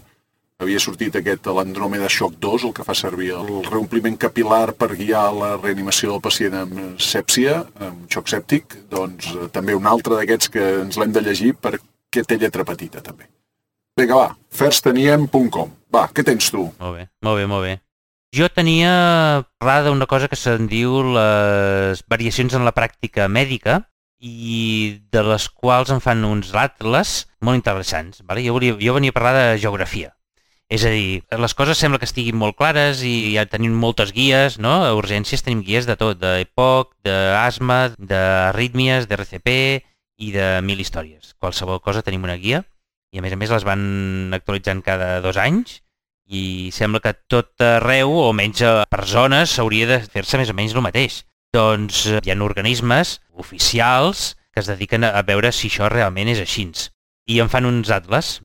havia sortit aquest l'Andromeda Shock 2, el que fa servir el reompliment capil·lar per guiar la reanimació del pacient amb sèpsia, amb xoc sèptic, doncs també un altre d'aquests que ens l'hem de llegir perquè té lletra petita, també. Vinga, va, firstteniem.com. Va, què tens tu? Molt bé. Jo tenia parlat d'una cosa que se'n diu les variacions en la pràctica mèdica, i de les quals en fan uns atles molt interessants. Vale? Jo venia a parlar de geografia. És a dir, les coses sembla que estiguin molt clares i ja tenim moltes guies, no? A urgències tenim guies de tot, d'EPOC, d'asma, d'arrítmies, d'RCP i de 1000 històries. Qualsevol cosa tenim una guia i a més les van actualitzant cada 2 anys i sembla que tot arreu, o almenys per zones, s'hauria de fer-se més o menys el mateix. Doncs hi ha organismes oficials que es dediquen a veure si això realment és així. I en fan uns atles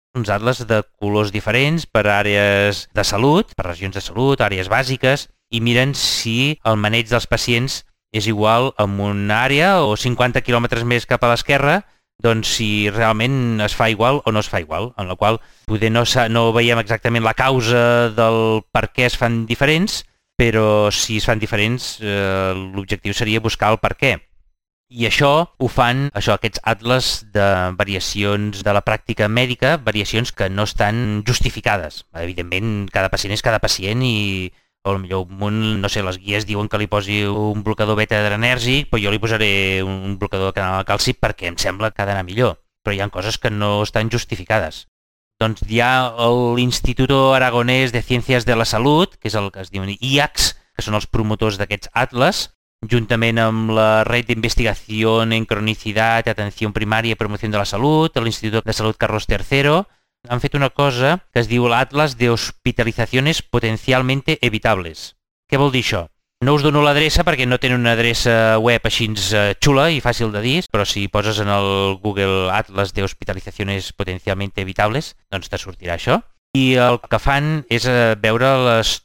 de colors diferents per àrees de salut, per regions de salut, àrees bàsiques, i miren si el maneig dels pacients és igual en una àrea o 50 quilòmetres més cap a l'esquerra, doncs si realment es fa igual o no es fa igual, en la qual poder no veiem exactament la causa del per què es fan diferents, però si es fan diferents, l'objectiu seria buscar el per què. I això ho fan, aquests atles de variacions de la pràctica mèdica, variacions que no estan justificades. Evidentment, cada pacient és cada pacient i potser no sé, les guies diuen que li posi un blocador beta adrenèrgic, però jo li posaré un blocador de canal de calci perquè em sembla que ha d'anar millor. Però hi ha coses que no estan justificades. Doncs hi ha l'Instituto Aragonés de Ciencias de la Salut, que és el que es diuen IACS, que són els promotors d'aquests atles, juntament amb la Red de Investigación en Cronicidad, Atención Primaria i Promoción de la Salut, l'Institut de Salut Carlos III, han fet una cosa que es diu l'Atlas de Hospitalizaciones Potencialmente Evitables. Què vol dir això? No us dono l'adreça perquè no tenen una adreça web així xula i fàcil de dir, però si poses en el Google Atlas de Hospitalizaciones Potencialmente Evitables, doncs te sortirà això. I el que fan és veure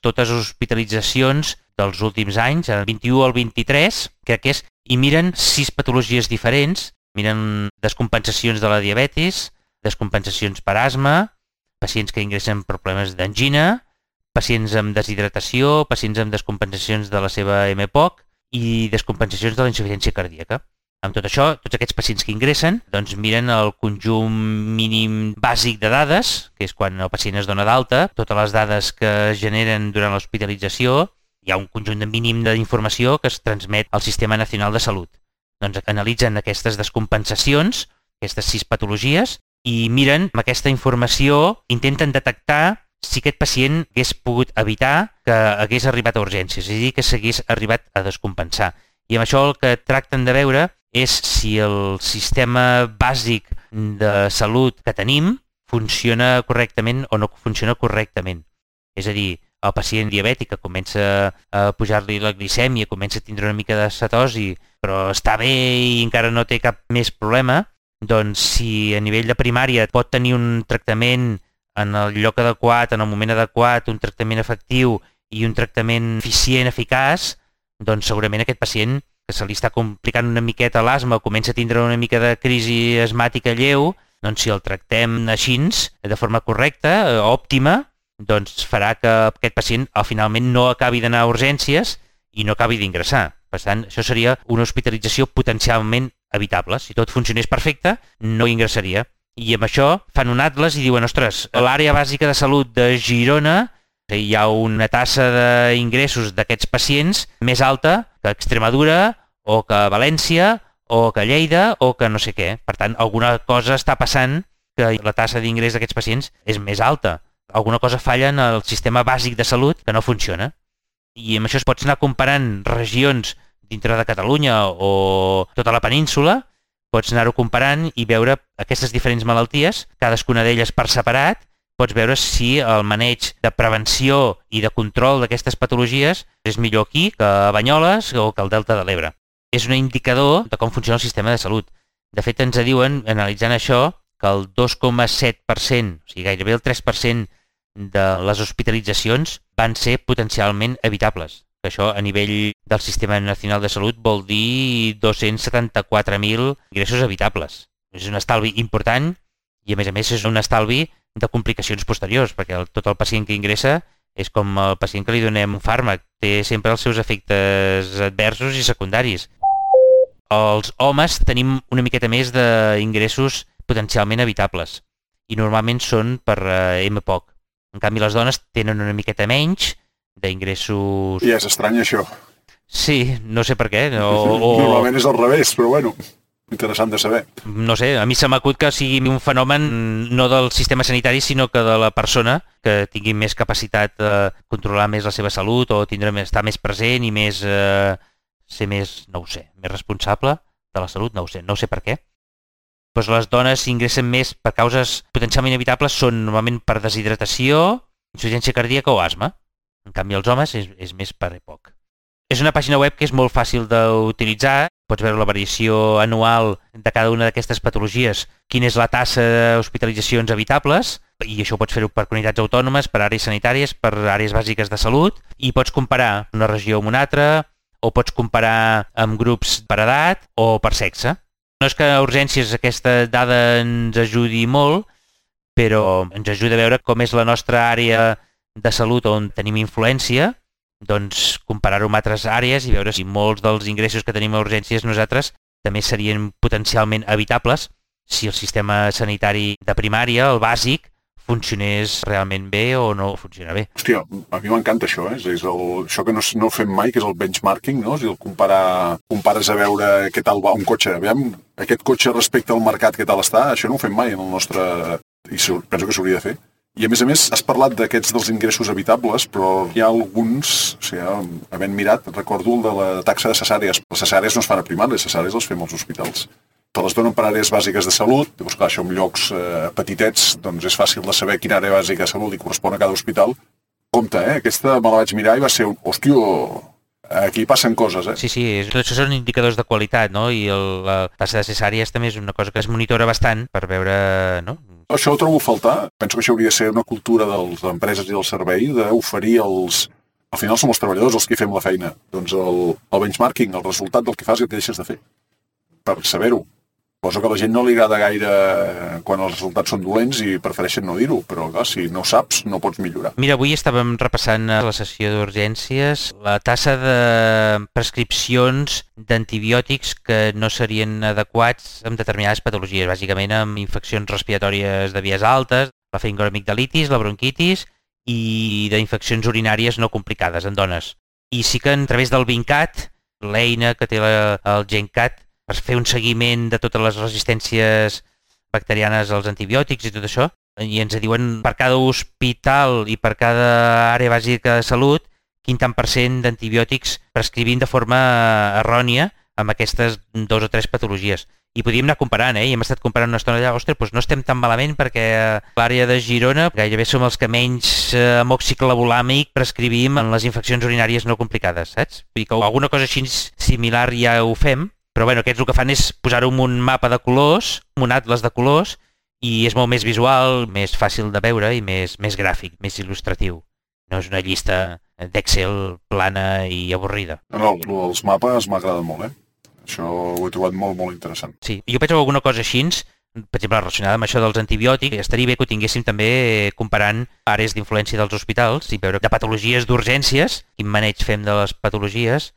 totes les hospitalitzacions dels últims anys, el 21 al 23, crec que és, i miren 6 patologies diferents, miren descompensacions de la diabetis, descompensacions per asma, pacients que ingressen per problemes d'angina, pacients amb deshidratació, pacients amb descompensacions de la seva MPOC i descompensacions de la insuficiència cardíaca. Amb tot això, tots aquests pacients que ingressen doncs miren el conjunt mínim bàsic de dades, que és quan el pacient es dona d'alta, totes les dades que es generen durant l'hospitalització, hi ha un conjunt de mínim d'informació que es transmet al Sistema Nacional de Salut. Doncs analitzen aquestes descompensacions, aquestes 6 patologies, i miren amb aquesta informació, intenten detectar si aquest pacient hagués pogut evitar que hagués arribat a urgències, és a dir, que s'hagués arribat a descompensar. I amb això el que tracten de veure és si el sistema bàsic de salut que tenim funciona correctament o no funciona correctament. És a dir, el pacient diabètic que comença a pujar-li la glicèmia, comença a tindre una mica de cetosi, però està bé i encara no té cap més problema, doncs si a nivell de primària pot tenir un tractament en el lloc adequat, en el moment adequat, un tractament efectiu i un tractament eficient, eficaç, doncs segurament aquest pacient que se li està complicant una miqueta l'asma o comença a tindre una mica de crisi asmàtica lleu, doncs si el tractem així, de forma correcta, òptima, doncs farà que aquest pacient finalment no acabi d'anar a urgències i no acabi d'ingressar. Per tant, això seria una hospitalització potencialment evitable. Si tot funcionés perfecte, no ingressaria. I amb això fan un atles i diuen, ostres, a l'àrea bàsica de salut de Girona hi ha una tassa d'ingressos d'aquests pacients més alta que Extremadura o que València o que Lleida o que no sé què. Per tant, alguna cosa està passant que la tassa d'ingrés d'aquests pacients és més alta. Alguna cosa falla en el sistema bàsic de salut que no funciona. I amb això es pots anar comparant regions dintre de Catalunya o tota la península, pots anar-ho comparant i veure aquestes diferents malalties, cadascuna d'elles per separat, pots veure si el maneig de prevenció i de control d'aquestes patologies és millor aquí que a Banyoles o que al Delta de l'Ebre. És un indicador de com funciona el sistema de salut. De fet, ens diuen, analitzant això, que el 2,7%, o sigui gairebé el 3% de les hospitalitzacions van ser potencialment evitables. Això a nivell del Sistema Nacional de Salut vol dir 274.000 ingressos evitables. És un estalvi important i a més és un estalvi de complicacions posteriors, perquè tot el pacient que ingressa és com el pacient que li donem un fàrmac, té sempre els seus efectes adversos i secundaris. Els homes tenim una miqueta més d'ingressos potencialment evitables i normalment són per MPOC. En canvi, les dones tenen una miqueta menys d'ingressos... I és estrany, això. Sí, no sé per què. Normalment és al revés, però bueno, interessant de saber. No sé, a mi se m'acut que sigui un fenomen no del sistema sanitari, sinó que de la persona que tingui més capacitat de controlar més la seva salut o estar més present i més ser més, no ho sé, més responsable de la salut, no ho sé per què. Doncs les dones ingressen més per causes potencialment evitables són normalment per deshidratació, insuficiència cardíaca o asma. En canvi, els homes és més per EPOC. És una pàgina web que és molt fàcil d'utilitzar. Pots veure la variació anual de cada una d'aquestes patologies, quina és la tassa d'hospitalitzacions evitables, i això pots fer-ho per comunitats autònomes, per àrees sanitàries, per àrees bàsiques de salut, i pots comparar una regió amb una altra, o pots comparar amb grups per edat o per sexe. No és que a urgències aquesta dada ens ajudi molt, però ens ajuda a veure com és la nostra àrea de salut on tenim influència, doncs comparar-ho amb altres àrees i veure si molts dels ingressos que tenim a urgències nosaltres també serien potencialment evitables si el sistema sanitari de primària, el bàsic, funcionés realment bé o no funciona bé. Hòstia, a mi m'encanta això, això que no fem mai, que és el benchmarking, no? És el compares a veure què tal va un cotxe. Aviam, aquest cotxe respecte al mercat, què tal està, això no ho fem mai en el nostre... I penso que s'hauria de fer. I a més, has parlat d'aquests dels ingressos evitables, però hi ha alguns, havent mirat, recordo el de la taxa de cesàries. Les cesàries no es fan a primària, les cesàries les fem als hospitals. Te les donen per àrees bàsiques de salut, llavors clar, això en llocs petitets, doncs és fàcil de saber quina àrea bàsica de salut li correspon a cada hospital. Compte, aquesta me la vaig mirar i va ser hòstia, aquí passen coses, Sí, tot això són indicadors de qualitat, no? I la taxa de cesàries també és una cosa que es monitora bastant per veure, no? Això ho trobo a faltar. Penso que això hauria de ser una cultura de les empreses i del servei d'oferir els... Al final som els treballadors els que fem la feina. Doncs el benchmarking, el resultat del que fas i el que deixes de fer. Per saber-ho. Cosa que a la gent no li agrada gaire quan els resultats són dolents i prefereixen no dir-ho, però clar, si no saps no pots millorar. Mira, avui estàvem repassant a la sessió d'urgències la tassa de prescripcions d'antibiòtics que no serien adequats amb determinades patologies, bàsicament amb infeccions respiratòries de vies altes, la faringoamigdalitis, la bronquitis i d'infeccions urinàries no complicades en dones. I sí que a través del VINCAT, l'eina que té el GenCat, per fer un seguiment de totes les resistències bacterianes als antibiòtics i tot això, i ens diuen per cada hospital i per cada àrea bàsica de salut quin tant % d'antibiòtics prescrivint de forma errònia amb aquestes 2 o 3 patologies. I podíem anar comparant, i hem estat comparant una estona allà, ostres, doncs no estem tan malament perquè a l'àrea de Girona gairebé som els que menys amoxiclavolàmic prescrivim en les infeccions urinàries no complicades, saps? Vull dir que alguna cosa així similar ja ho fem, però bueno, aquests el que fan és posar-ho en un mapa de colors, un atles de colors, i és molt més visual, més fàcil de veure i més gràfic, més il·lustratiu. No és una llista d'Excel plana i avorrida. No, els mapes m'agraden molt, Això ho he trobat molt, molt interessant. Sí, jo penso que alguna cosa així, per exemple, relacionada amb això dels antibiòtics, estaria bé que ho tinguéssim també comparant àrees d'influència dels hospitals i veure de patologies d'urgències, quin maneig fem de les patologies.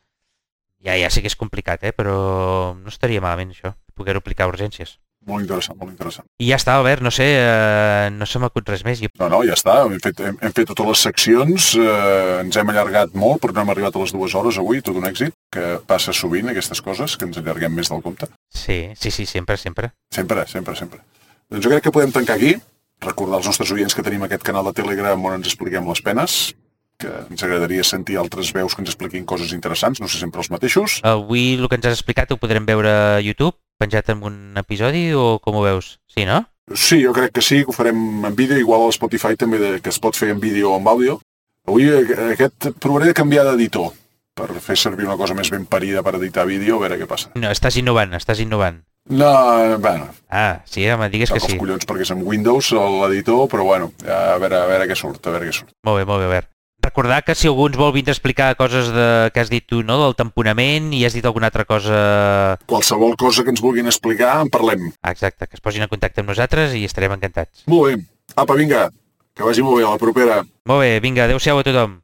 Ja sé que és complicat, però no estaria malament això, poder-ho aplicar a urgències. Molt interessant, molt interessant. I ja està, Albert, no sé, no se m'acut res més. No, ja està, hem fet totes les seccions, ens hem allargat molt, però no hem arribat a les 2 hores avui, tot un èxit, que passa sovint aquestes coses, que ens allarguem més del compte. Sí, sempre. Sempre. Doncs jo crec que podem tancar aquí, recordar als nostres oients que tenim aquest canal de Telegram on ens expliquem les penes, que ens agradaria sentir altres veus que ens expliquin coses interessants, no sé sempre els mateixos. Avui el que ens has explicat ho podrem veure a YouTube, penjat en un episodi, o com ho veus? Sí, no? Sí, jo crec que sí, que ho farem en vídeo, igual a Spotify també, que es pot fer en vídeo o en àudio. Avui provaré de canviar d'editor, per fer servir una cosa més ben parida per editar vídeo, a veure què passa. No, estàs innovant. No, bueno. Sí, home, digues que sí. Els collons, perquè és amb Windows l'editor, però bueno, a veure què surt, Molt bé, Albert. Recordar que si algú ens vol vindre a explicar coses que has dit tu, no?, del tamponament, i has dit alguna altra cosa... Qualsevol cosa que ens vulguin explicar, en parlem. Exacte, que es posin en contacte amb nosaltres i estarem encantats. Molt bé. Apa, vinga, que vagi molt bé, a la propera. Molt bé, vinga, adeu-siau a tothom.